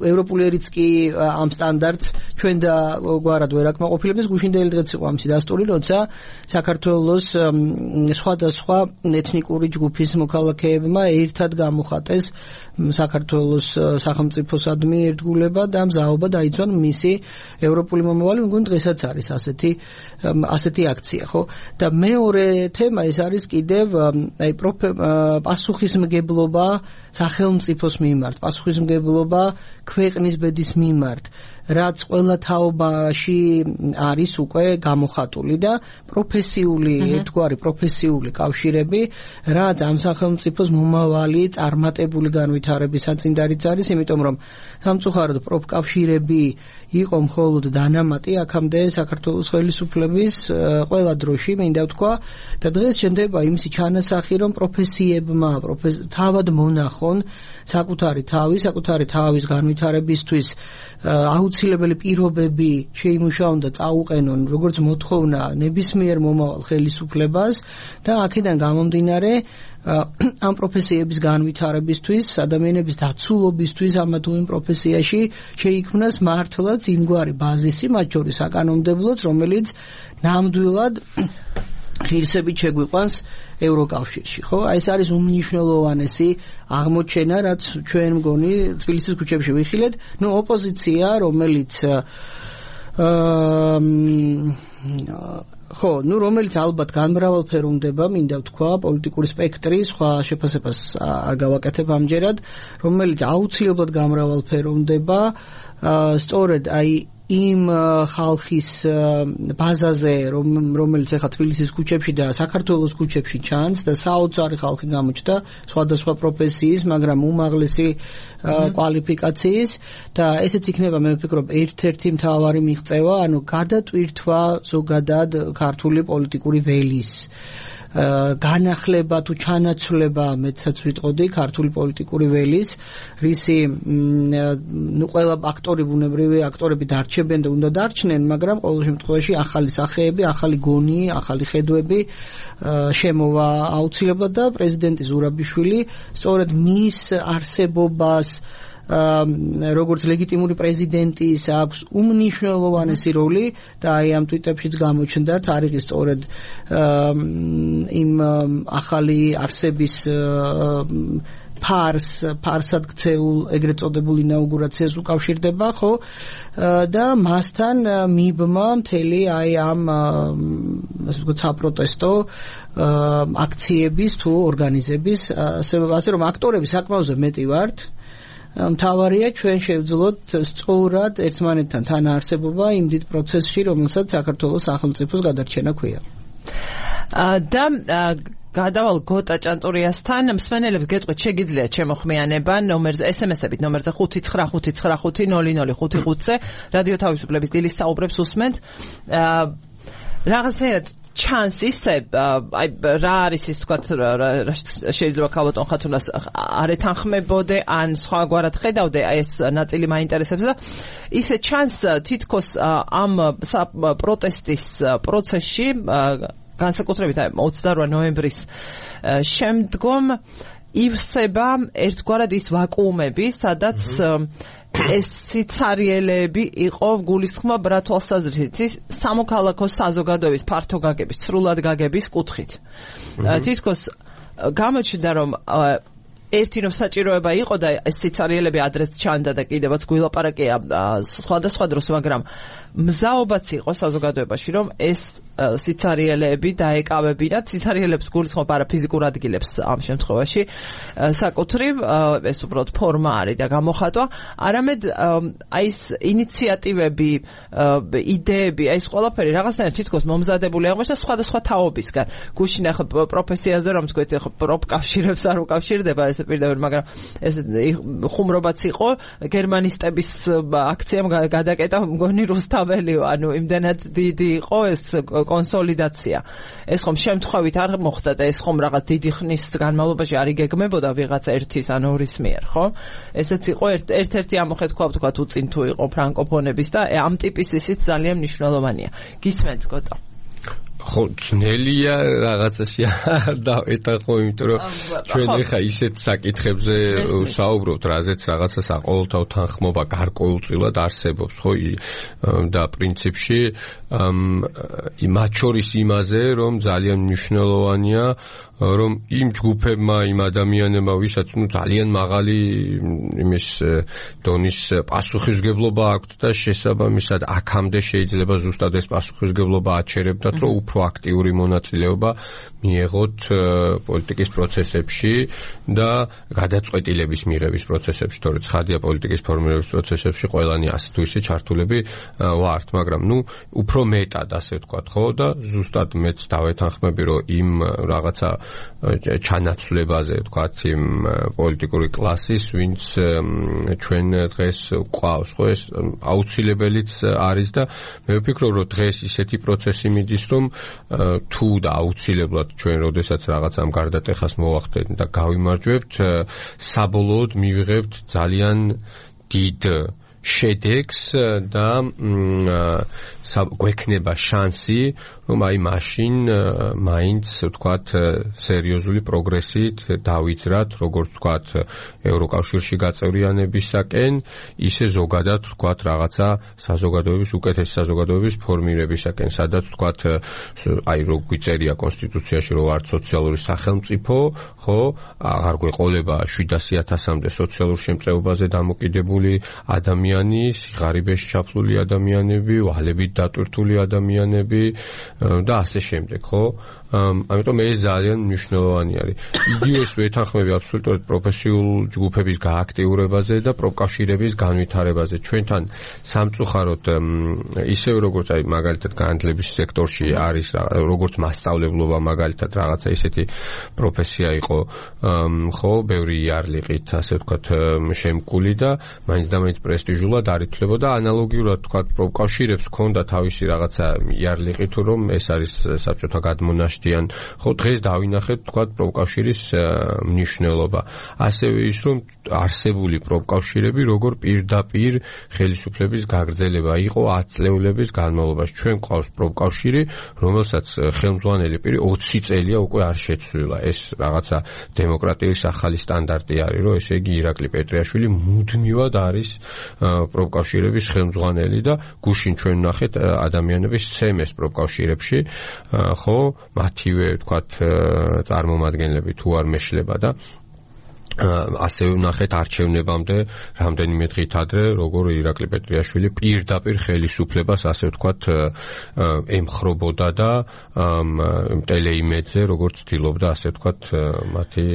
ევროპული ერიც კი ამ სტანდარტს ჩვენ და გვარად ვერ აკმაყოფილებს. გუშინდელი დღეც იყო ამისი დასტური, როცა საქართველოს სხვადასხვა ეთნიკური ჯგუფის მოქალაქეებმა ერთად გამოხატეს საქართველოს სახელმწიფოსადმი ერთგულება და მზაობა დაიცვან მისი ევროპული მომავალი. მგონი დღესაც არის ასეთი აქცია, ხო? და მეორე თემა ეს არის კიდევ აი პასუხისმგებლობა სახელმწიფოს მიმართ, პასუხისმგებლობა ქვეყნის ბედის მიმართ, რაც ყველა თაობაში არის უკვე გამოხატული და ერთგვარი პროფესიული კავშირები, რაც ამ სახელმწიფოს მომავალი წარმატებული განვითარების საწინდარიც არის, იმიტომ რომ სამწუხაროდ პროფკავშირები იყო მხოლოდ დანამატი აქამდე საქართველოს ხელისუფლების ყველა დროში, მინდა ვთქვა, და დღეს შენდება იმისი ჩანასახი, რომ პროფესიებმა თავად მონახონ საკუთარი თავის განვითარებისთვის აუცილებელი პირობები შეიმუშაონ და წაუყენონ როგორც მოთხოვნა ნებისმიერ მომავალ ხელისუფლებას და აქედან გამომდინარე ამ პროფესიების განვითარებისთვის, ადამიანების დაცულობისთვის ამა თუ იმ პროფესიაში შეიქმნას მართლაც იმგვარი ბაზისი, მათ შორის საკანონმდებლოც, რომელიც ნამდვილად ღირსებით შეგვიყვანს ევროკავშირში, ხო? აი ეს არის უმნიშვნელოვანესი აღმოჩენა, რაც ჩვენ მგონი თბილისის ქუჩებში ვიხილეთ. ოპოზიცია, რომელიც რომელიც ალბათ განმრავალფეროვნება, მინდა ვთქვა, პოლიტიკური სპექტრი, სხვა შეფასებას არ გავაკეთებ ამჯერად, რომელიც აუცილებლად განმრავალფეროვნება, სწორედ აი იმ ხალხის ბაზაზე, რომელიც ეხლა თბილისის ქუჩებში და საქართველოს ქუჩებში ჩანს და საოცარი ხალხი გამოჩნდა სხვადასხვა პროფესიის, მაგრამ უმაღლესი კვალიფიკაციის და ესეც იქნება მე ვფიქრობ ერთ-ერთი მთავარი მიღწევა, ანუ გადატვირთვა ზოგადად ქართული პოლიტიკური ველის განახლება თუ ჩანაცვლება მეცაც ვიტყოდი ქართული პოლიტიკური ველის რისი ყველა აქტორი ბუნებრივი აქტორები დარჩებენ და უნდა დარჩნენ მაგრამ ყოველ შემთხვევაში ახალი სახეები ახალი გონი ახალი ხედვები შემოვა აუცილებლად და პრეზიდენტი ზურაბიშვილი სწორედ მის არსებობას როგორც ლეგიტიმური პრეზიდენტის აქვს უმნიშვნელოვანესი როლი და აი ამ ტვიტებშიც გამოჩნდა თარიღი სწორედ იმ ახალი არსების ფარსად ქცეულ ეგრეთ წოდებულ ინაუგურაციას უკავშირდება ხო და მასთან მიბმა მთელი აი ამ ასე ვთქვათ საპროტესტო აქციების თუ ორგანიზების ასე რომ აქტორები საკმაოზე მეტი ვართ მთავარია ჩვენ შევძლოთ სწორად ერთმანეთთან თანაარსებობა იმ დიდ პროცესში, რომელსაც საქართველოს სახელმწიფოს გადარჩენა ქვია. და გადავალ გოტა ჭანტურიასთან მსმენელებს გეტყვით შეგიძლიათ შემოხმიანება ნომერზე SMS-ებით ნომერზე 595500555-ზე რადიო თავისუფლების დილის საუბრებს უსმენთ რაღაცნაირად ჩანს ისე აი რა არის ის თქვა შეიძლება ქალბატონ ხათუნას არ ეთანხმებოდე ან სხვაგვარად ხედავდე აი ეს ნაწილი მაინტერესებს და ისე ჩანს თითქოს ამ პროტესტის პროცესში განსაკუთრებით 28 ნოემბრის შემდგომ ივსება ერთგვარად ის ვაკუუმები სადაც ეს სიცარიელეები იყო გულისხმობ რა თვალსაზრისით ის სამოქალაქო საზოგადოების ფართო გაგების, სრულად გაგების კუთხით. თითქოს გამოჩნდა რომ ერთი რომ საჭიროება იყო და ეს სიცარიელები ადრეც ჩანდა და კიდევაც გულაპარაკია სხვადასხვა დროს, მაგრამ მზაობაც იყო საზოგადოებაში რომ ეს სიცარიელეები დაეკავებინათ სიცარიელებს გულისხმობ არა ფიზიკურ ადგილებს ამ შემთხვევაში საკუთრივ ეს უბრალოდ ფორმა არის და გამოხატვა არამედ აი ეს ინიციატივები იდეები აი ეს ყველაფერი რაღაცნაირად თითქოს მომზადებული აღმოჩნდა სხვადასხვა თაობისგან გუშინ ახლა პროფესიაზე რომ თქვით ახლა პროფკავშირებს არ უკავშირდება ეს პირდაპირ მაგრამ ეს ხუმრობაც იყო გერმანისტების აქციამ გადაკეტა მგონი რუსთაველიო ანუ იმდენად დიდი იყო ეს კონსოლიდაცია. ეს ხომ შემთხვევით არ მოხდა და ეს ხომ რაღაც დიდი ხნის განმავლობაში არ იგეგმებოდა ვიღაცა ერთის ან ორის მიერ, ხო? ესეც იყო ერთ-ერთი ამოხეთქვა ვთქვათ უწინ თუ იყო ფრანკოფონების და ამ ტიპის ისიც ძალიან მნიშვნელოვანია. გისმენთ გოტო? ხო, ძნელია რაღაცაში დავეტახო, იმიტომ რომ ჩვენ ეხა ისეთ საკითხებზე საუბრობთ, რაზეც რაღაცა საყოველთაო თანხმობა გარკვეულწილად არსებობს, ხო? და პრინციპში მათ შორის იმაზე, რომ ძალიან მნიშვნელოვანია რომ იმ ჯგუფებმა, იმ ადამიანებმა, ვისაც ძალიან მაღალი იმის დონის პასუხისმგებლობა აქვთ და შესაბამისად აქამდე შეიძლება ზუსტად ეს პასუხისმგებლობა აჩერებდათ, რომ უფრო აქტიური მონაწილეობა მიეღოთ პოლიტიკის პროცესებში და გადაწყვეტილების მიღების პროცესებში, თორე ცხადია პოლიტიკის ფორმირების პროცესებში ყველანი ასე თუ ისე ჩართულები ვართ, მაგრამ უფრო მეტად ასე ვთქვათ, ხო და ზუსტად მეც დავეთანხმები, რომ იმ რაღაცა ჩანაცვლებაზე ვთქვათ იმ პოლიტიკური კლასის, ვინც ჩვენ დღეს გვყავს, ხო ეს აუცილებელიც არის და მე ვფიქრობ, რომ დღეს ისეთი პროცესი მიდის, რომ თუ და აუცილებლად ჩვენ როდესაც რაღაც ამ გარდატეხას მოვახდეთ და გავიმარჯვებთ, საბოლოოდ მივიღებთ ძალიან დიდ შედეგს და გვექნება შანსი, რომ აი მაშინ მაინც ვთქვათ სერიოზული პროგრესით დავიძრათ, როგორც ვთქვათ ევროკავშირში გაწევრიანებისაკენ, ისე ზოგადად ვთქვათ რაღაცა საზოგადოების უკეთესი საზოგადოების ფორმირებისაკენ, სადაც ვთქვათ აი რო გვიწერია კონსტიტუციაში, რომ ვართ სოციალური სახელმწიფო, ხო, აღარ გვეყოლება 700,000-მდე სოციალურ შემწეობაზე დამოკიდებული ადამიანი, სიღარიბეში ჩაფლული ადამიანები, ვალებით დატვირთული ადამიანები და ასე შემდეგ, ხო? ამიტომ ეს ძალიან მნიშვნელოვანი არის. იგივეს ვეთანხმები აბსოლუტურად პროფესიულ ჯგუფების გააქტიურებაზე და პროფკავშირების განვითარებაზე. ჩვენთან სამწუხაროდ ისევ როგორც აი მაგალითად განათლების სექტორში არის როგორც მასწავლებლობა მაგალითად რაღაცა ისეთი პროფესია იყო ხო ბევრი იარლიყით ასე ვთქვათ შემკული და მაინც და მაინც პრესტიჟულად არ ითვლებოდა ანალოგიურად ვთქვათ პროფკავშირებს ჰქონდა თავისი რაღაცა იარლიყი თუ რომ ეს არის საბჭოთა გადმონაშთიან ხო დღეს დავინახეთ ვთქვათ პროფკავშირის მნიშვნელობა ასევე ის რომ არსებული პროფკავშირები როგორ პირდაპირ ხელისუფლების გაგრძელება იყო 10 წლეულების განმავლობაში ჩვენ ყავს პროფკავშირი რომელსაც ხელმძღვანელი პირი 20 წელია უკვე არ შეცვლილა ეს რაღაცა დემოკრატიის ახალი სტანდარტი არის რომ ესე იგი ირაკლი პეტრიაშვილი მუდმივად არის პროფკავშირების ხელმძღვანელი და გუშინ ჩვენ ვნახეთ ადამიანების ცემეს პროფკავშირებში ხო მათივე ვთქვათ წარმომადგენლები თუ არ მეშლება და ასევე ვნახეთ არჩევნებამდე რამდენიმე დღით ადრე როგორ ირაკლი პეტრიაშვილი პირდაპირ ხელისუფლებას ასე ვთქვათ ემხრობოდა და ტელეიმედზე როგორც ცდილობდა ასე ვთქვათ მათი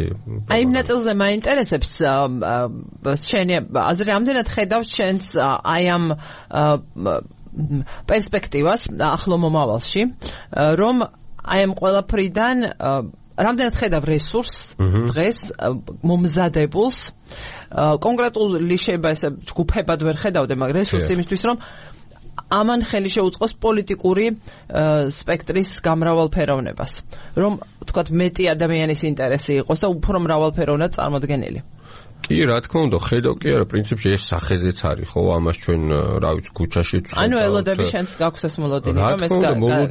აი იმ ნაწილზე მაინტერესებს შენი აზრი ამდენად ხედავს შენს აი ამ პერსპექტივას ახლო მომავალში რომ აი ამ ყველაფრიდან რამდენად ხედავ რესურსს დღეს მომზადებულს კონკრეტული შეიძლება ესე ჯგუფებად ვერ ხედავდე მაგრამ რესურსს იმისთვის რომ ამან ხელი შეუწყოს პოლიტიკური სპექტრის გამრავალფეროვნებას რომ თქვათ მეტი ადამიანის ინტერესი იყოს და უფრო მრავალფეროვნად წარმოდგენილი კი, რა თქმა უნდა, ხედავ კი არა, პრინციპში ეს სახეზეც არის, ხო, ამას ჩვენ რა ვიცი, ქუჩაში ვწვევთ. ანუ ელოდები შენს გაქვს ეს მოლოდინი, რომ ეს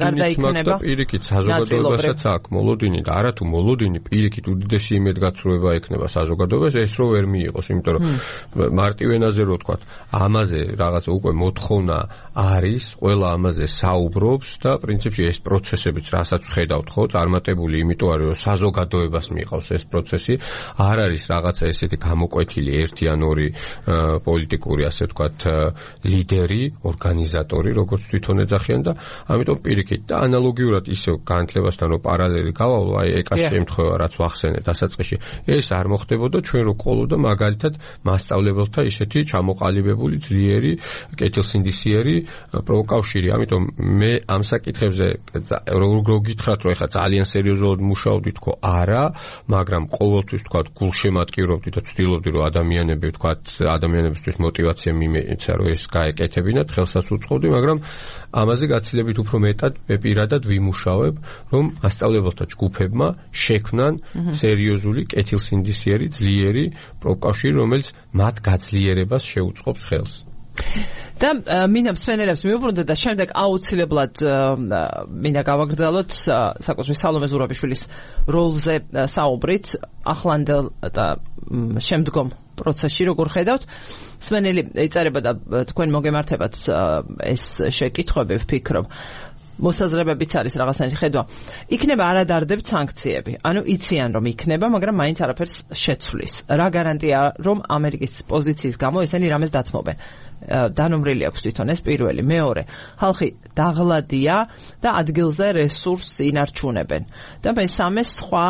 გარდაიქმნება. პირიქით საზოგადოებასაც აქვს მოლოდინი და არათუ მოლოდინი პირიქით უდიდესი იმედგაცრუება ექნება საზოგადოებას, ეს რო ვერ მიიღოს, იმიტომ რომ მარტივ ენაზე რო ვთქვათ, ამაზე რაღაცა უკვე მოთხოვნა არის, ყველა ამაზე საუბრობს და პრინციპში ეს პროცესებიც, რასაც ვხედავთ, ხო, წარმატებული იმიტომ არის, რომ საზოგადოებას მიიღავს ეს პროცესი, არ არის რაღაცა ესეთი გამოკვეთილი ერთი ან ორი პოლიტიკური ასე ვთქვათ ლიდერი, ორგანიზატორი, როგორც თვითონ ეძახიან და ამიტომ პირიქით და ანალოგიურად ისევ განათლებასთან რო პარალელი გავავლო, აი ეკას შემთხვევა რაც ვახსენე დასაწყისში, ეს არ მოხდებოდა ჩვენ რო ყოლოდა მაგალითად მასწავლებელთა ისეთი ჩამოყალიბებული ძლიერი კეთილსინდისიერი პროკავშირი, ამიტომ მე ამ საკითხებზე რო გითხრათ რომ ეხლა ძალიან სერიოზულად მუშაობდი თქო არა, მაგრამ ყოველთვის ვთქვათ გულშემატკივრობდი და ვცდილობდი რომ ადამიანები ვთქვათ ადამიანებისთვის მოტივაცია მიმეცა რომ ეს გაეკეთებინათ, ხელსაც უწყობდი, მაგრამ ამაზე გაცილებით უფრო მეტად მე პირადად ვიმუშავებ, რომ მასწავლებელთა ჯგუფებმა შექმნან სერიოზული კეთილსინდისიერი ძლიერი პროკავშირი, რომელიც მათ გაძლიერებას შეუწყობს ხელს. და მინდა მსვენელებს მიუბრუნდე და შემდეგ აუცილებლად მინდა გავაგრძელოთ საკუთრივ სალომე ზურაბიშვილის როლზე საუბრით ახლანდელ და შემდგომ პროცესში როგორ ხედავთ მსვენელი იწერება და თქვენ მოგემართებათ ეს შეკითხვები ვფიქრობ მოსაზრებებიც არის რაღაცნაირი ხედვა. იქნება არადარდებ სანქციები. ანუ იციან რომ იქნება, მაგრამ მაინც არაფერს შეცვლის. რა გარანტია რომ ამერიკის პოზიციის გამო ესენი რამეს დათმობენ? დანომრილი აქვს თვითონ ეს პირველი, მეორე. ხალხი დაღლადია და ადგილზე რესურსს ინარჩუნებენ. და მესამე სხვა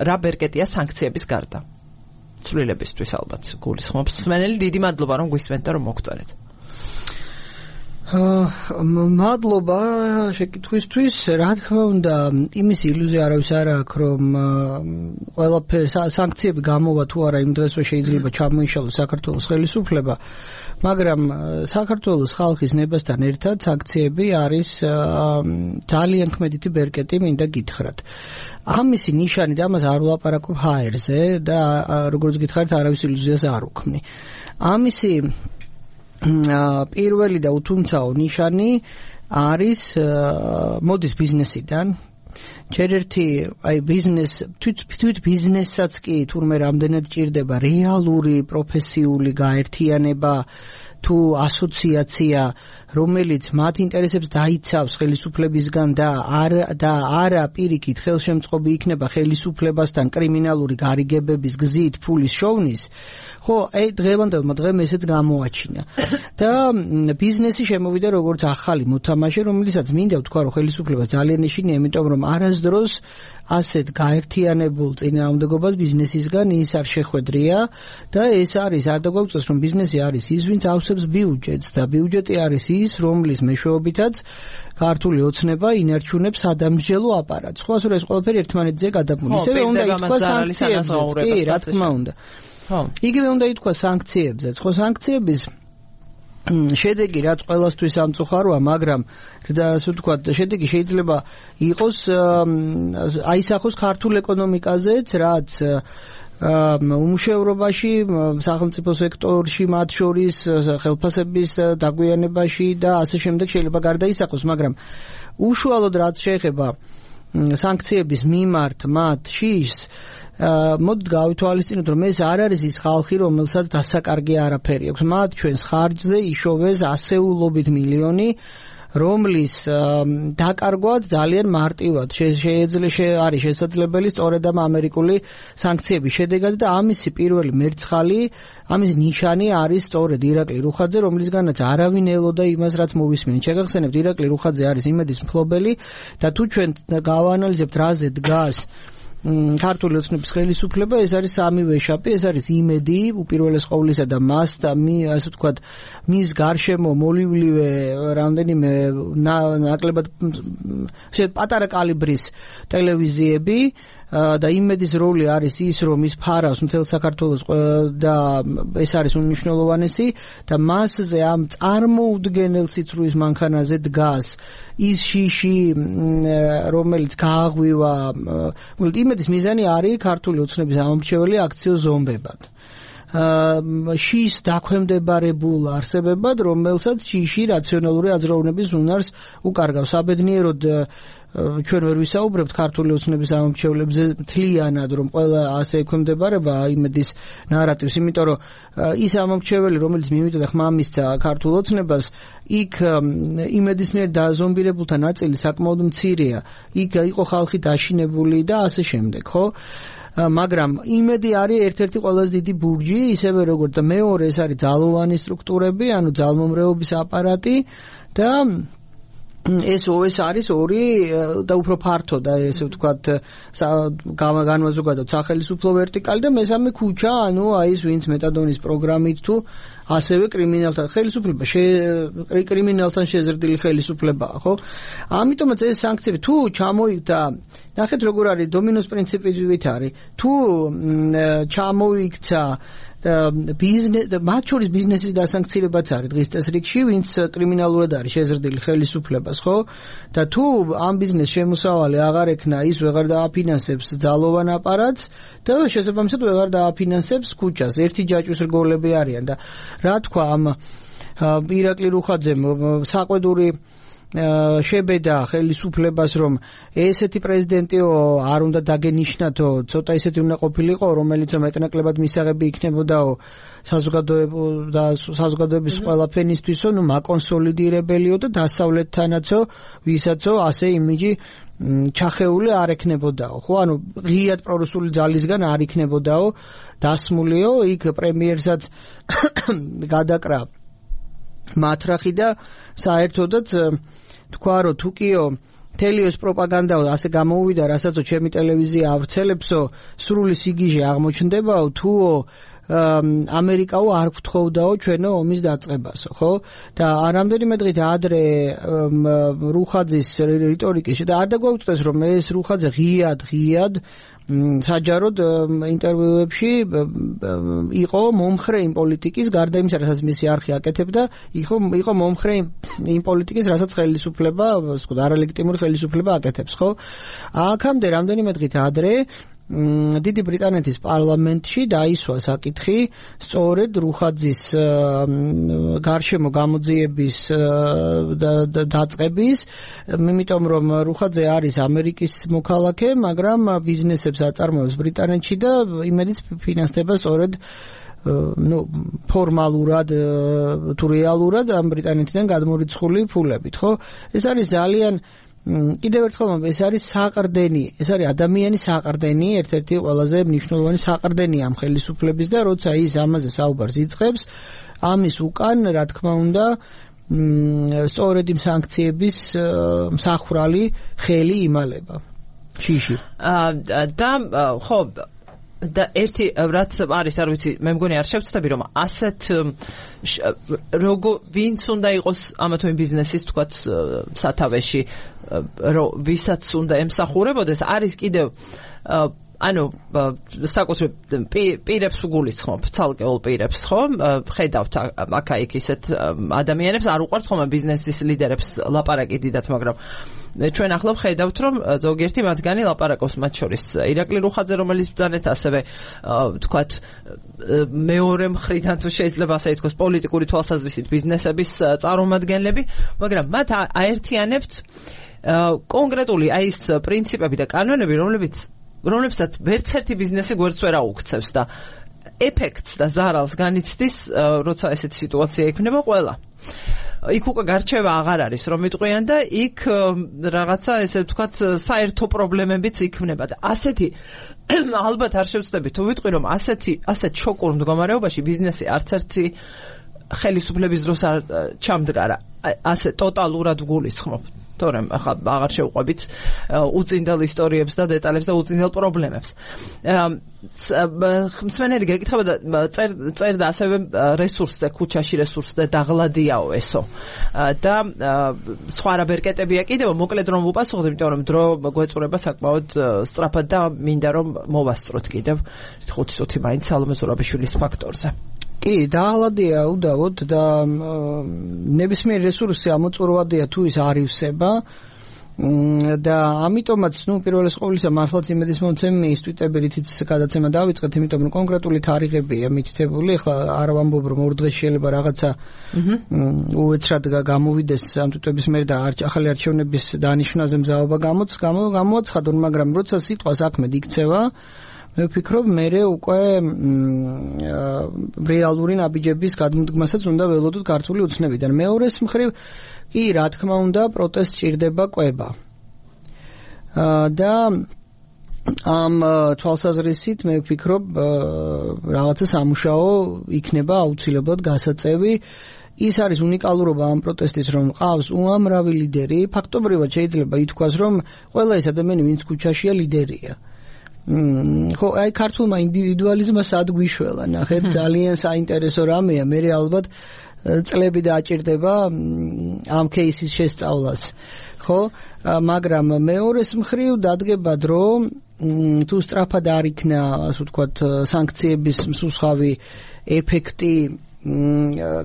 რა ბერკეტია სანქციების გარდა. ცვლილებისთვის ალბათ გულისხმობს. მსმენელი დიდი მადლობა რომ გვისმენთ და რომ მოგწერეთ. მადლობა შეკითხვისთვის. რა თქმა უნდა, იმის ილუზია არავის არ აქვს, რომ ყველაფერი სანქციები გამოვა თუ არა იმ დღესვე შეიძლება ჩამოიშალოს საქართველოს ხელისუფლება, მაგრამ საქართველოს ხალხის ნებასთან ერთად სანქციები არის ძალიან ქმედითი ბერკეტი, მინდა გითხრათ. ამისი ნიშანი და ამას არ ვლაპარაკობ ჰაერზე და როგორც გითხარით, არავის ილუზიას არ უქმნი. ამისი პირველი და უთუმცაო ნიშანი არის მოდის ბიზნესიდან. ჯერ ერთი აი თვით ბიზნესსაც კი თურმე რამდენად ჭირდება რეალური პროფესიული გაერთიანება თუ ასოციაცია, რომელიც მათ ინტერესებს დაიცავს ხელისუფლებისგან და არა პირიქით ხელშემწყობი იქნება ხელისუფლებასთან კრიმინალური გარიგებების გზით ფულის შოვნის, ხო, დღევანდელმა დღემ ესეც გამოაჩინა. და ბიზნესი შემოვიდა როგორც ახალი მოთამაშე, რომელიცაც მინდა ვთქვა, რომ ხელისუფლებას ძალიან ეშინია, იმიტომ რომ არასდროს ასეთ გაერთიანებულ წინააღმდეგობას ბიზნესისგან ის არ შეხვედრია და ეს არის არ დაგვაუწევს რომ ბიზნესი არის ის ვინც ავსებს ბიუჯეტს და ბიუჯეტი არის ის რომლის მეშვეობითაც ქართული ოცნება ინარჩუნებს სადამსჯელო აპარატს. ხო, ასე რომ ეს ყველაფერი ერთმანეთზე გადაბმული. ისევე უნდა ითქვა სანქციებზეც, კი, რა თქმა უნდა. ხო. იგივე უნდა ითქვა სანქციებზეც. ხო, სანქციების შედეგი რაც ყველასთვის სამწუხაროა, მაგრამ ასე ვთქვათ, შედეგი შეიძლება იყოს აისახოს ქართულ ეკონომიკაზეც, რაც უმუშევრობაში, სახელმწიფო სექტორში, მათ შორის ხელფასების დაგვიანებაში და ასე შემდეგ შეიძლება გარდაისახოს, მაგრამ უშუალოდ რაც შეეხება სანქციების მიმართ მათ შიშს მოდით გავითვალისწინოთ, რომ ეს არ არის ის ხალხი, რომელსაც დასაკარგი არაფერი აქვს. მათ ჩვენს ხარჯზე იშოვეს ასეულობით მილიონი, რომლის დაკარგვაც ძალიან მარტივად არის შესაძლებელი სწორედ ამ ამერიკული სანქციების შედეგად და ამისი პირველი მერცხალი, ამის ნიშანი არის სწორედ ირაკლი რუხაძე, რომლისგანაც არავინ ელოდა იმას, რაც მოვისმინეთ. შეგახსენებთ, ირაკლი რუხაძე არის იმედის მფლობელი და თუ ჩვენ გავაანალიზებთ, რაზე დგას ქართული ოცნების ხელისუფლება, ეს არის სამივე შაპი, ეს არის იმედი უპირველეს ყოვლისა და მას და ასე ვთქვათ, მის გარშემო მოლივლივე რამდენიმე ნაკლებად პატარა კალიბრის ტელევიზიები და იმედის როლი არის ის, რომ ის ფარავს მთელ საქართველოს და ეს არის უმნიშვნელოვანესი და მასზე ამ წარმოუდგენელ სიცრუის მანქანაზე დგას ის შიში, რომელიც გააღვივა, იმედის მიზანი არის ქართული ოცნების ამომრჩეველი აქციო ზომბებად. შიშს დაქვემდებარებულ არსებებად, რომელსაც შიში რაციონალური აზროვნების უნარს უკარგავს. საბედნიეროდ ჩვენ ვერ ვისაუბრებთ ქართული ოცნების ამომრჩევლებზე მთლიანად, რომ ყველა ასე ექვემდებარება იმედის ნარატივს, იმიტომ რომ ის ამომრჩეველი, რომელიც მივიდა ხმამისცა ქართულ ოცნებას, იქ იმედის მიერ დაზომბირებულთა ნაწილი საკმაოდ მცირეა. იქ იყო ხალხი დაშინებული და ასე შემდეგ, ხო? მაგრამ იმედი არის ერთ-ერთი ყველაზე დიდი ბურჯი, ისევე როგორც და მეორე ეს არის ძალოვანი სტრუქტურები, ანუ ძალმომრეობის აპარატი და ეს არის ორი და უფრო ფართო და ესე ვთქვათ განმაზოგადოთ სახელმწიფო ვერტიკალი და მესამე ქუჩა, ანუ აი ეს ვინც მეტადონის პროგრამით თუ ასევე კრიმინალთან ხელისუფლება, კრიმინალთან შეზრდილი ხელისუფლებაა, ხო? ამიტომაც ეს სანქციები თუ ჩამოიქცა, ნახეთ როგორ არის დომინოს პრინციპით არის, თუ ჩამოიქცა მათ შორის ბიზნესის დასანქცირებაც არის დღის წესრიგში, ვინც კრიმინალურად არის შეზრდილი ხელისუფლებას, ხო? და თუ ამ ბიზნეს შემოსავალი აღარ ექნა, ის ვეღარ დააფინანსებს ძალოვან აპარატს და შესაბამისად ვეღარ დააფინანსებს ქუჩას. ერთი ჯაჭვის რგოლები არიან და რა თქვა ამ ირაკლი რუხაძემ საყვედური შებედა ხელისუფლებას, რომ ესეთი პრეზიდენტიო არ უნდა დაგენიშნათო, ცოტა ისეთი უნდა ყოფილიყო, რომელიც მეტნაკლებად მისაღები იქნებოდაო საზოგადოების ყველა ფენისთვისო, ნუ მაკონსოლიდირებელიო და დასავლეთთანაცო, ვისაცო ასე იმიჯი ჩახეული არ ექნებოდაო, ხო? ანუ ღიად პრორუსული ძალისგან არ იქნებოდაო დასმულიო, იქ პრემიერსაც გადაკრა მათრახი და საერთოდაც თქვა, რომ თუკიო თელიოს პროპაგანდაო ასე გამოუვიდა, რასაც ჩემი ტელევიზია ავრცელებსო, სრული სიგიჟე აღმოჩნდებაო, თუო ამერიკაო არ გთხოვდაო ჩვენო ომის დაწყებასო, ხო? და რამდენიმე დღით ადრე რუხაძის რიტორიკის და არ დაგვაუწყდეს, რომ ეს რუხაძე ღიად საჯაროდ ინტერვიუებში იყო მომხრე იმ პოლიტიკის, გარდა იმისა, რასაც მისი არხი აკეთებდა, იყო მომხრე იმ პოლიტიკის, რასაც ხელისუფლება, არალეგიტიმური ხელისუფლება აკეთებს, ხო? აქამდე რამდენიმე დღით ადრე დიდი ბრიტანეთის პარლამენტში დაისვა საკითხი სწორედ რუხაძის გარშემო გამოძიების დაწყების, იმიტომ რომ რუხაძე არის ამერიკის მოქალაქე, მაგრამ ბიზნესებს აწარმოებს ბრიტანეთში და იმედიც ფინანსდება სწორედ ფორმალურად თუ რეალურად ამ ბრიტანეთიდან გადმორიცხული ფულებით, ხო? ეს არის ძალიან კიდევ ერთხელ ეს არის საყრდენი, ეს არის ადამიანის საყრდენი, ერთ-ერთი ყველაზე მნიშვნელოვანი საყრდენი ამ ხელისუფლების და როცა ის ამაზე საუბარს იწყებს, ამის უკან, რა თქმა უნდა, სწორედ იმ სანქციების მსახვრალი ხელი იმალება. შიში. და ხო და ერთი რაც არის არ ვიცი მე მგონი არ შევცდები რომ ასეთ ვინც უნდა იყოს ამა თუ იმ ბიზნესის თქვათ სათავეში ვისაც უნდა ემსახურებოდეს არის კიდევ ანუ საკუთრებ პირებს უგულისხმობ ცალკეულ პირებს ხო ხედავთ აქა-იქ ისეთ ადამიანებს არ უყვართ ხომ ბიზნესის ლიდერებს ლაპარაკი დიდათ მაგრამ ჩვენ ახლა ვხედავთ რომ ზოგიერთი მათგანი ლაპარაკობს მათ შორის ირაკლი რუხაძე რომელიც ბრძანეთ ასევე თქვათ მეორე მხრიდან თუ შეიძლება ასე ითქვას პოლიტიკური თვალსაზრისით ბიზნესების წარმომადგენლები მაგრამ მათ აერთიანებთ კონკრეტული აი ეს პრინციპები და კანონები რომლებსაც ვერც ერთი ბიზნესი გვერდს ვერ აუქცევს და ეფექტს და ზარალს განიცდის როცა ესეთი სიტუაცია იქნება ყველა იქ უკვე გარჩევა აღარ არის რომ იტყვიან და იქ რაღაცა ესე ვთქვათ საერთო პრობლემებიც იქნება და ასეთი ალბათ არ შევწდები თუ ვიტყვი რომ ასეთ შოკურ მდგომარეობაში ბიზნესი არც ერთი ხელისუფლების დროს არ ჩამდგარა ასე ტოტალურად გულისხმობ თორემ ახლა აღარ შევყვებით უწინდელ ისტორიებს და დეტალებს და უწინდელ პრობლემებს. მსმენელი გეკითხება და წერდა ასევე რესურსზე, ქუჩაში რესურსზე დაღლადიაო ესო. და სხვა რა ბერკეტებია კიდევ მოკლედ რომ ვუპასუხოთ, იმიტომ რომ დრო გვეწურება საკმაოდ სწრაფად და მინდა რომ მოვასწროთ კიდევ 5 წუთი მაინც სალომე ზურაბიშვილის ფაქტორზე. კი, დაალადია უდავოდ და ნებისმიერ რესურსზე ამოწურვადია თუ ის არივსება და ამიტომაც პირველეს ყოვლისა მართლაც იმედის მომცემი ის ტვიტებითიც გადაცემა დავიწყეთ, იმიტომ რომ კონკრეტული თარიღებია მითითებული, ახლა არ ვამბობ რომ ორ დღეს შეიძლება რაღაცა უეცრად გამოვიდეს ამ ტვიტების მიერ და ახალი არჩევნების დანიშვნაზე მზაობა გამოაცხადონ, მაგრამ როცა სიტყვა საქმედ იქცევა მე ვფიქრობ, მე უკვე რეალური ნაბიჯების გადმოდგმასაც უნდა ველოდოთ ქართული ოცნებიდან. მეორეს მხრივ, კი, რა თქმა უნდა, პროტესტ ჭირდება კვება. და ამ თვალსაზრისით მე ვფიქრობ, რაღაცა სამუშაო იქნება აუცილებლად გასაწევი. ის არის უნიკალურობა ამ პროტესტის, რომ ყავს უამრავი ლიდერი. ფაქტობრივად შეიძლება ითქვას, რომ ყველა ეს ადამიანი, ვინც ქუჩაშია, ლიდერია. ხო, აი ქართულმა ინდივიდუალიზმმა სად გვიშველა, ნახეთ, ძალიან საინტერესო რამეა, მე ალბათ წლები დააჭირდება ამ кейსის შესწავლას. ხო, მაგრამ მეორეს მხრივ დადგება დრო, თუ სწრაფად არ იქნა, ასე ვთქვათ, სანქციების მსუსხავი ეფექტი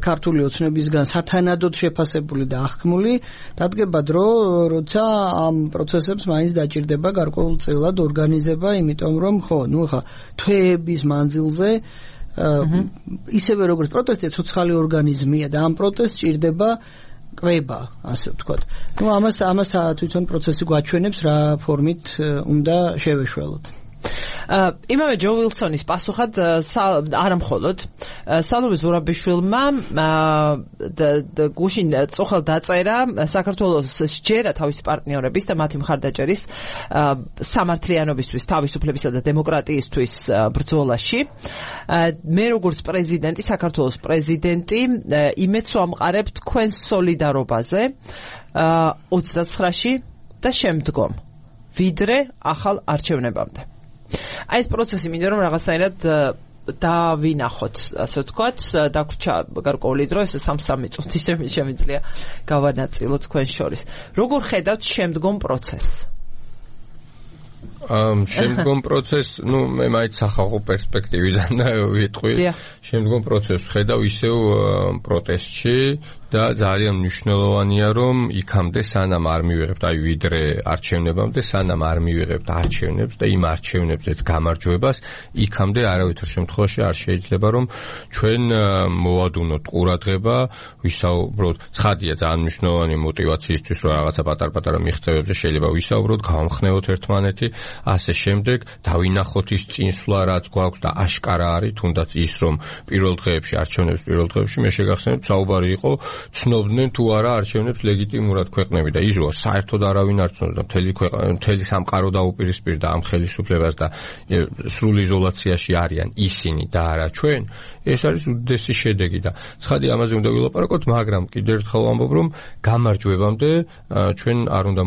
ქართული ოცნებისგან სათანადოდ შეფასებული და აღქმული, დადგება დრო, როცა ამ პროცესებს მაინც დაჭირდება გარკვეულწილად ორგანიზება, იმიტომ რომ ხო, ახლა თვეების მანძილზე ისევე როგორც პროტესტი ცოცხალი ორგანიზმია და ამ პროტესტს ჭირდება კვება, ასე ვთქვათ. ამას თვითონ პროცესი გვაჩვენებს, რა ფორმით უნდა შევეშველოთ. იმავე ჯო ვილსონის პასუხად არა მხოლოდ სალომე ზურაბიშვილმა გუშინ წუხელ დაწერა საქართველოს სჯერა თავისი პარტნიორების და მათი მხარდაჭერის სამართლიანობისთვის, თავისუფლებისა და დემოკრატიისთვის ბრძოლაში. მე როგორც პრეზიდენტი, საქართველოს პრეზიდენტი, იმედს ვამყარებ თქვენს სოლიდარობაზე 29-ში და შემდგომ, ვიდრე ახალ არჩევნებამდე. აი ეს პროცესი მინდა რომ რაღაცნაირად დავინახოთ, ასე ვთქვათ, დაგვრჩა გარკვეული დრო, ეს 3 წუთი შემიძლია გავანაწილოთ თქვენ შორის. როგორ ხედავთ შემდგომ პროცესს? შემდგომ პროცესს, მე მაინც სახალხო პერსპექტივიდან ვიტყვი. შემდგომ პროცესს ხედავ ისევ პროტესტში და ძალიან მნიშვნელოვანია რომ იქამდე სანამ არ მივიღებთ ვიდრე არჩევნებამდე სანამ არ მივიღებთ არჩევნებს და იმ არჩევნებზეც გამარჯვებას იქამდე არავითარ შემთხვევაში არ შეიძლება რომ ჩვენ მოვადუნოთ ყურადღება ვისაუბროთ ცხადია ძალიან მნიშვნელოვანი мотиваციისთვის რომ რაღაცა პატარ-პატარა მიღწევებზე შეიძლება ვისაუბროთ გავამხნევოთ ერთმანეთი ასე შემდეგ დავინახოთ ის წინსვლა რაც გვაქვს და აშკარა არის თუნდაც ის რომ პირველ დღეებში არჩევნების პირველ დღეებში მე შეგახსენებთ საუბარი იყო ცნობდნენ თუ არა არჩევნებს ლეგიტიმურად ქვეყნები და ის რომ საერთოდ არავინ არ ცნობდა მთელი სამყარო დაუპირისპირდა ამ ხელისუფლებას და სრულ იზოლაციაში არიან ისინი და არა ჩვენ ეს არის უდიდესი შედეგი და ცხადი ამაზე უნდა ვილაპარაკოთ მაგრამ კიდევ ერთხელ ვამბობ რომ გამარჯვებამდე ჩვენ არ უნდა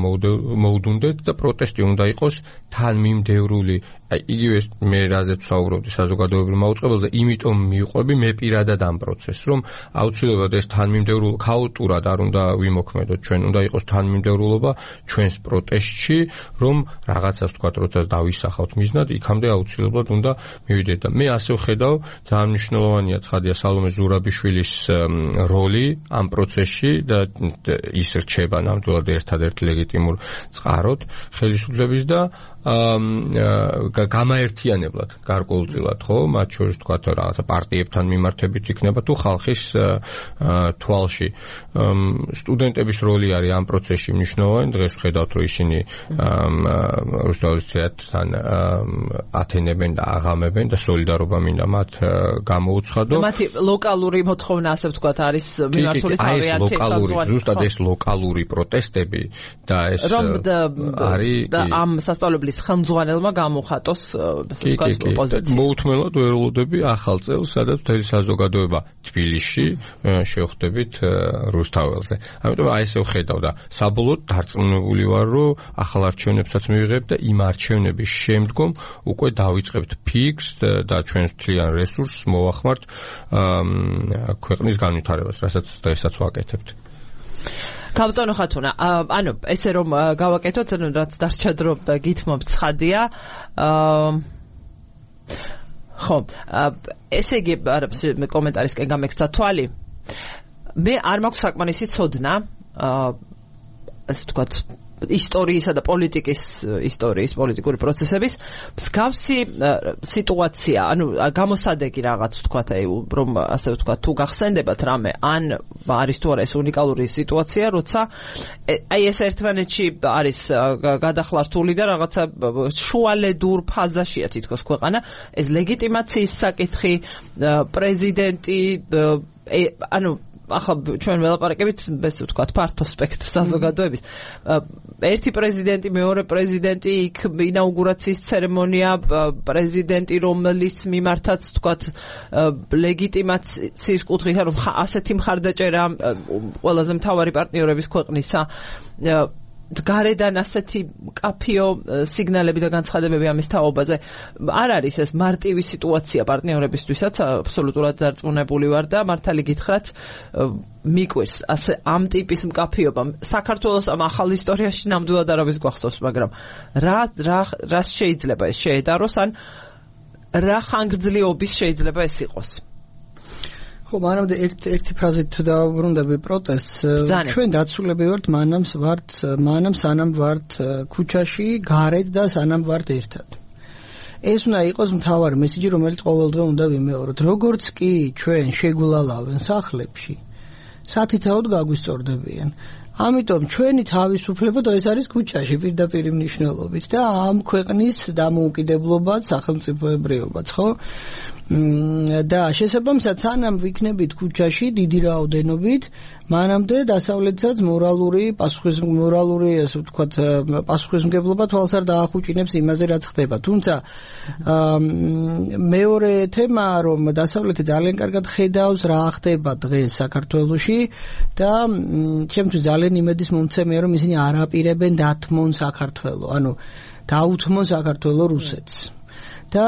მოვუდუნდეთ და პროტესტი უნდა იყოს თანმიმდევრული იგივე მე რაზეც ვსაუბრობდი საზოგადოებრივ მაუწყებელზე იმიტომ მივყვები მე პირადად ამ პროცესს რომ აუცილებლად ეს თანმიმდევრულობა ქაოტურად არ უნდა ვიმოქმედოთ ჩვენ უნდა იყოს თანმიმდევრულობა ჩვენს პროტესტში რომ რაღაცას თქვათ როცა დავისახავთ მიზნად იქამდე აუცილებლად უნდა მივიდეთ და მე ასე ვხედავ ძალიან მნიშვნელოვანია ცხადია სალომე ზურაბიშვილის როლი ამ პროცესში და ის რჩება ნამდვილად ერთადერთ ლეგიტიმურ წყაროდ ხელისუფლების და გამაერთიანებლად გარკვეულწილად ხო მათ შორის თქვა რაღაცა პარტიებთან მიმართებით იქნება თუ ხალხის თვალში სტუდენტების როლი არის ამ პროცესში მნიშვნელოვანი დღეს ვხედავთ რომ ისინი რუსთავის თეატრთან ათენებენ და აღამებენ და სოლიდარობა მინდა მათ გამოუცხადო მათი ლოკალური მოთხოვნა ასე ვთქვათ არის მიმართული თავიანთი ზუსტად ეს ლოკალური პროტესტები და ეს არის და ამ სასწავლებლის ხელმძღვანელმა გამოხატოს პოზიცია. მოუთმელად ვერულოდები ახალ წელს, სადაც მთელი საზოგადოება თბილისში შევხვდებით რუსთაველზე. ამიტომ აი ესე ვხედავ და საბოლოოდ დარწმუნებული ვარ, რომ ახალ არჩევნებსაც მივიღებთ და იმ არჩევნების შემდგომ უკვე დავიწყებთ ფიქს და ჩვენს მთლიან რესურსს მოვახმართ ქვეყნის განვითარებას, რასაც დღესაც ვაკეთებთ. კაპიტანო ხათუნა, ანუ ესე რომ გავაკეთოთ, რაც დარჩა დრო გითმობთ ცხადია. ხო, ესე იგი კომენტარისკენ გამექცა თვალი. მე არ მაქვს საკმარისი ცოდნა, ასე ვთქვათ, ისტორიისა და ისტორიის პოლიტიკური პროცესების მსგავსი სიტუაცია, ანუ გამოსადეგი რაღაც ვთქვათ, რომ ასე ვთქვათ, თუ გახსენდებათ რამე, ან არის თუ არა ეს უნიკალური სიტუაცია, როცა აი ეს ერთმანეთში არის გადახლართული და რაღაცა შუალედურ ფაზაშია თითქოს ქვეყანა, ეს ლეგიტიმაციის საკითხი, პრეზიდენტი, ანუ ახლა ჩვენ ველაპარაკებით ესე ვთქვათ ფართო სპექტრ საზოგადოების ერთი პრეზიდენტი მეორე პრეზიდენტი იქ ინაუგურაციის ცერემონია პრეზიდენტი რომლის მიმართაც ვთქვათ ლეგიტიმაციის კუთხით რომ ასეთი მხარდაჭერა ყველაზე მთავარი პარტნიორების ქვეყნისა გარედან ასეთი კაფეო სიგნალები და განცხადებები ამის თაობაზე არ არის ეს მარტივი სიტუაცია პარტნიორებისთვისაც აბსოლუტურად დარწმუნებული ვარ და მართალი გითხრათ მიკვირს ასე ამ ტიპის მკაფიობა საქართველოს ამ ახალ ისტორიაში ნამდვილად არავის გვახსოვს მაგრამ რა შეიძლება ეს შეედაროს ან რა ხანგრძლივობის შეიძლება ეს იყოს ხო, მანამდე ერთი ფრაზით დავბრუნდები პროტესტს. ჩვენ დაცულები ვართ, მანამ სანამ ვართ ქუჩაში, გარეთ და სანამ ვართ ერთად. ეს უნდა იყოს მთავარი მესიჯი, რომელიც ყოველდღე უნდა ვიმეოროთ. როგორც კი ჩვენ შეგვილალავენ სახლებში, სათითაოდ გაგვისწორდებიან. ამიტომ ჩვენი თავისუფლება დღეს არის ქუჩაში პირდაპირ მნიშვნელობით და ამ ქვეყნის დამოუკიდებლობაც, სახელმწიფოებრიობაც, ხო? და შესაბამისად სანამ ვიქნებით ქუჩაში დიდი რაოდენობით მანამდე დასავლეთსაც მორალური ასე ვთქვათ პასუხისმგებლობა თვალს არ დაახუჭინებს იმაზე რაც ხდება თუმცა მეორე თემა რომ დასავლეთი ძალიან კარგად ხედავს რა ხდება დღეს საქართველოში და ჩემთვის ძალიან იმედის მომცემია რომ ისინი არ აპირებენ დათმონ საქართველო ანუ დაუთმონ საქართველო რუსეთს და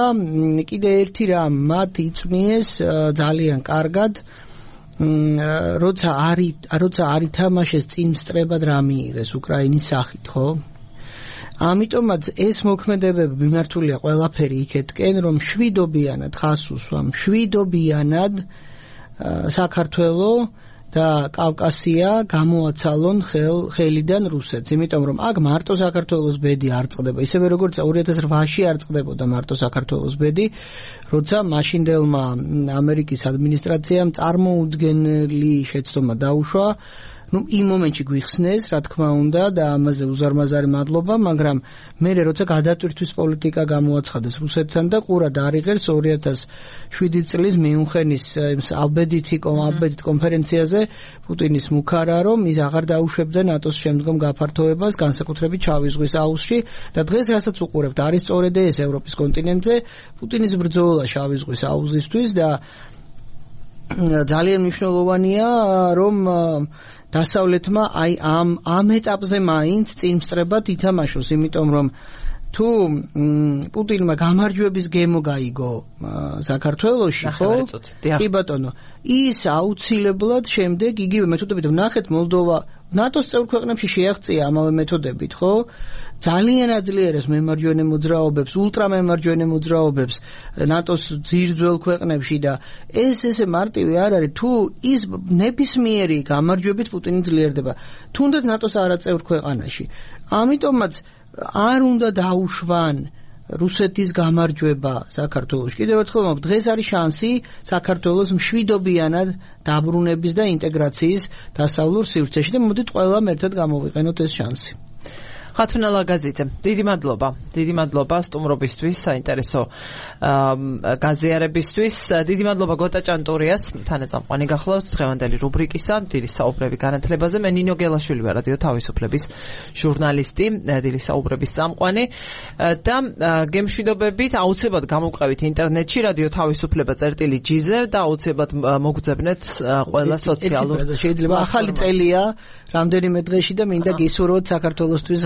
კიდე ერთი რამ მათ იწვნიეს ძალიან კარგად როცა არ ითამაშეს წინსწრებად რა მიიღეს უკრაინის სახით ხო ამიტომაც ეს მოქმედებები მიმართულია ყველაფერი იქეთკენ, რომ შვიდობიანად ხას უსვამ, შვიდობიანად საქართველოს და კავკასია გამოაცალონ ხელიდან რუსეთს, იმიტომ რომ აქ მარტო საქართველოს ბედი არ წყდება, ისევე როგორც 2008-ში არ წყდებოდა მარტო საქართველოს ბედი, როცა მაშინდელმა ამერიკის ადმინისტრაციამ წარმოუდგენელი შეცდომა დაუშვა, იმ მომენტში გვიხსნეს, რა თქმა უნდა, და ამაზე უზარმაზარი მადლობა, მაგრამ მე როცა გადატვირთვის პოლიტიკა გამოაცხადეს რუსეთთან და ყურა დაარიღეს 2007 წლის მიუნხენის აბედით კონფერენციაზე პუტინის მუქარა, რომ ის აღარ დაუშვებდა ნატოს შემდგომ გაფართოებას, განსაკუთრებით შავი ზღვის აუზში და დღეს რასაც უყურებთ, არის სწორედ ეს ევროპის კონტინენტზე პუტინის ბრძოლა შავი ზღვის აუზისთვის და ძალიან მნიშვნელოვანია, რომ დასავლეთმა აი ამ ეტაპზე მაინც წინ სწრებად ითამაშოს, იმიტომ რომ თუ პუტინმა გამარჯვების გემო გაიგო საქართველოში, ხო? კი ბატონო, ის აუცილებლად შემდეგ იგივე მეთოდებით ვნახეთ მოლდოვა ნატოს წევრ ქვეყნებში შეაღწია ამავე მეთოდებით, ხო? ძალიან აძლიერებს მემარჯვენე მოძრაობებს, ულტრამემარჯვენე მოძრაობებს ნატოს ძირძველ ქვეყნებში და ესე მარტივი არ არის, თუ ის ნებისმიერი გამარჯვებით პუტინი ძლიერდება, თუნდაც ნატოს არაწევრ ქვეყანაში. ამიტომაც არ უნდა დაუშვან რუსეთის გამარჯვება საქართველოში. კიდევ ერთხელ დღეს არის შანსი საქართველოს მშვიდობიანად დაბრუნების და ინტეგრაციის დასავლურ სივრცეში და მოდით ყველამ ერთად გამოვიყენოთ ეს შანსი. ხათუნა ლაგაზიძე, დიდი მადლობა სტუმრობისთვის, საინტერესო გაზიარებისთვის. დიდი მადლობა გოტა ჭანტურიას, თანაწამყვანი გახლავთ დღევანდელი რუბრიკისა დილის საუბრები განათლებაზე. მე ნინო გელაშვილი ვარ, რადიო თავისუფლების ჟურნალისტი, დილის საუბრების წამყვანი და გემშვიდობებით აუცილებლად გამოვყევით ინტერნეტში რადიო თავისუფლება წერტილი-ჯიზე და აუცილებლად მოგძებნეთ ყველა სოციალურ შეიძლება ახალი წელია რამდენიმე დღეში და მინდა გისურვოთ საქართველოსთვის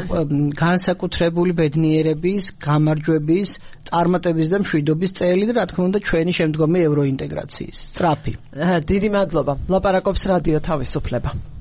განსაკუთრებული ბედნიერების, გამარჯვების, წარმატების და მშვიდობის წელი და რა თქმა უნდა ჩვენი შემდგომი ევროინტეგრაციის სწრაფი. დიდი მადლობა. ლაპარაკობს რადიო თავისუფლება.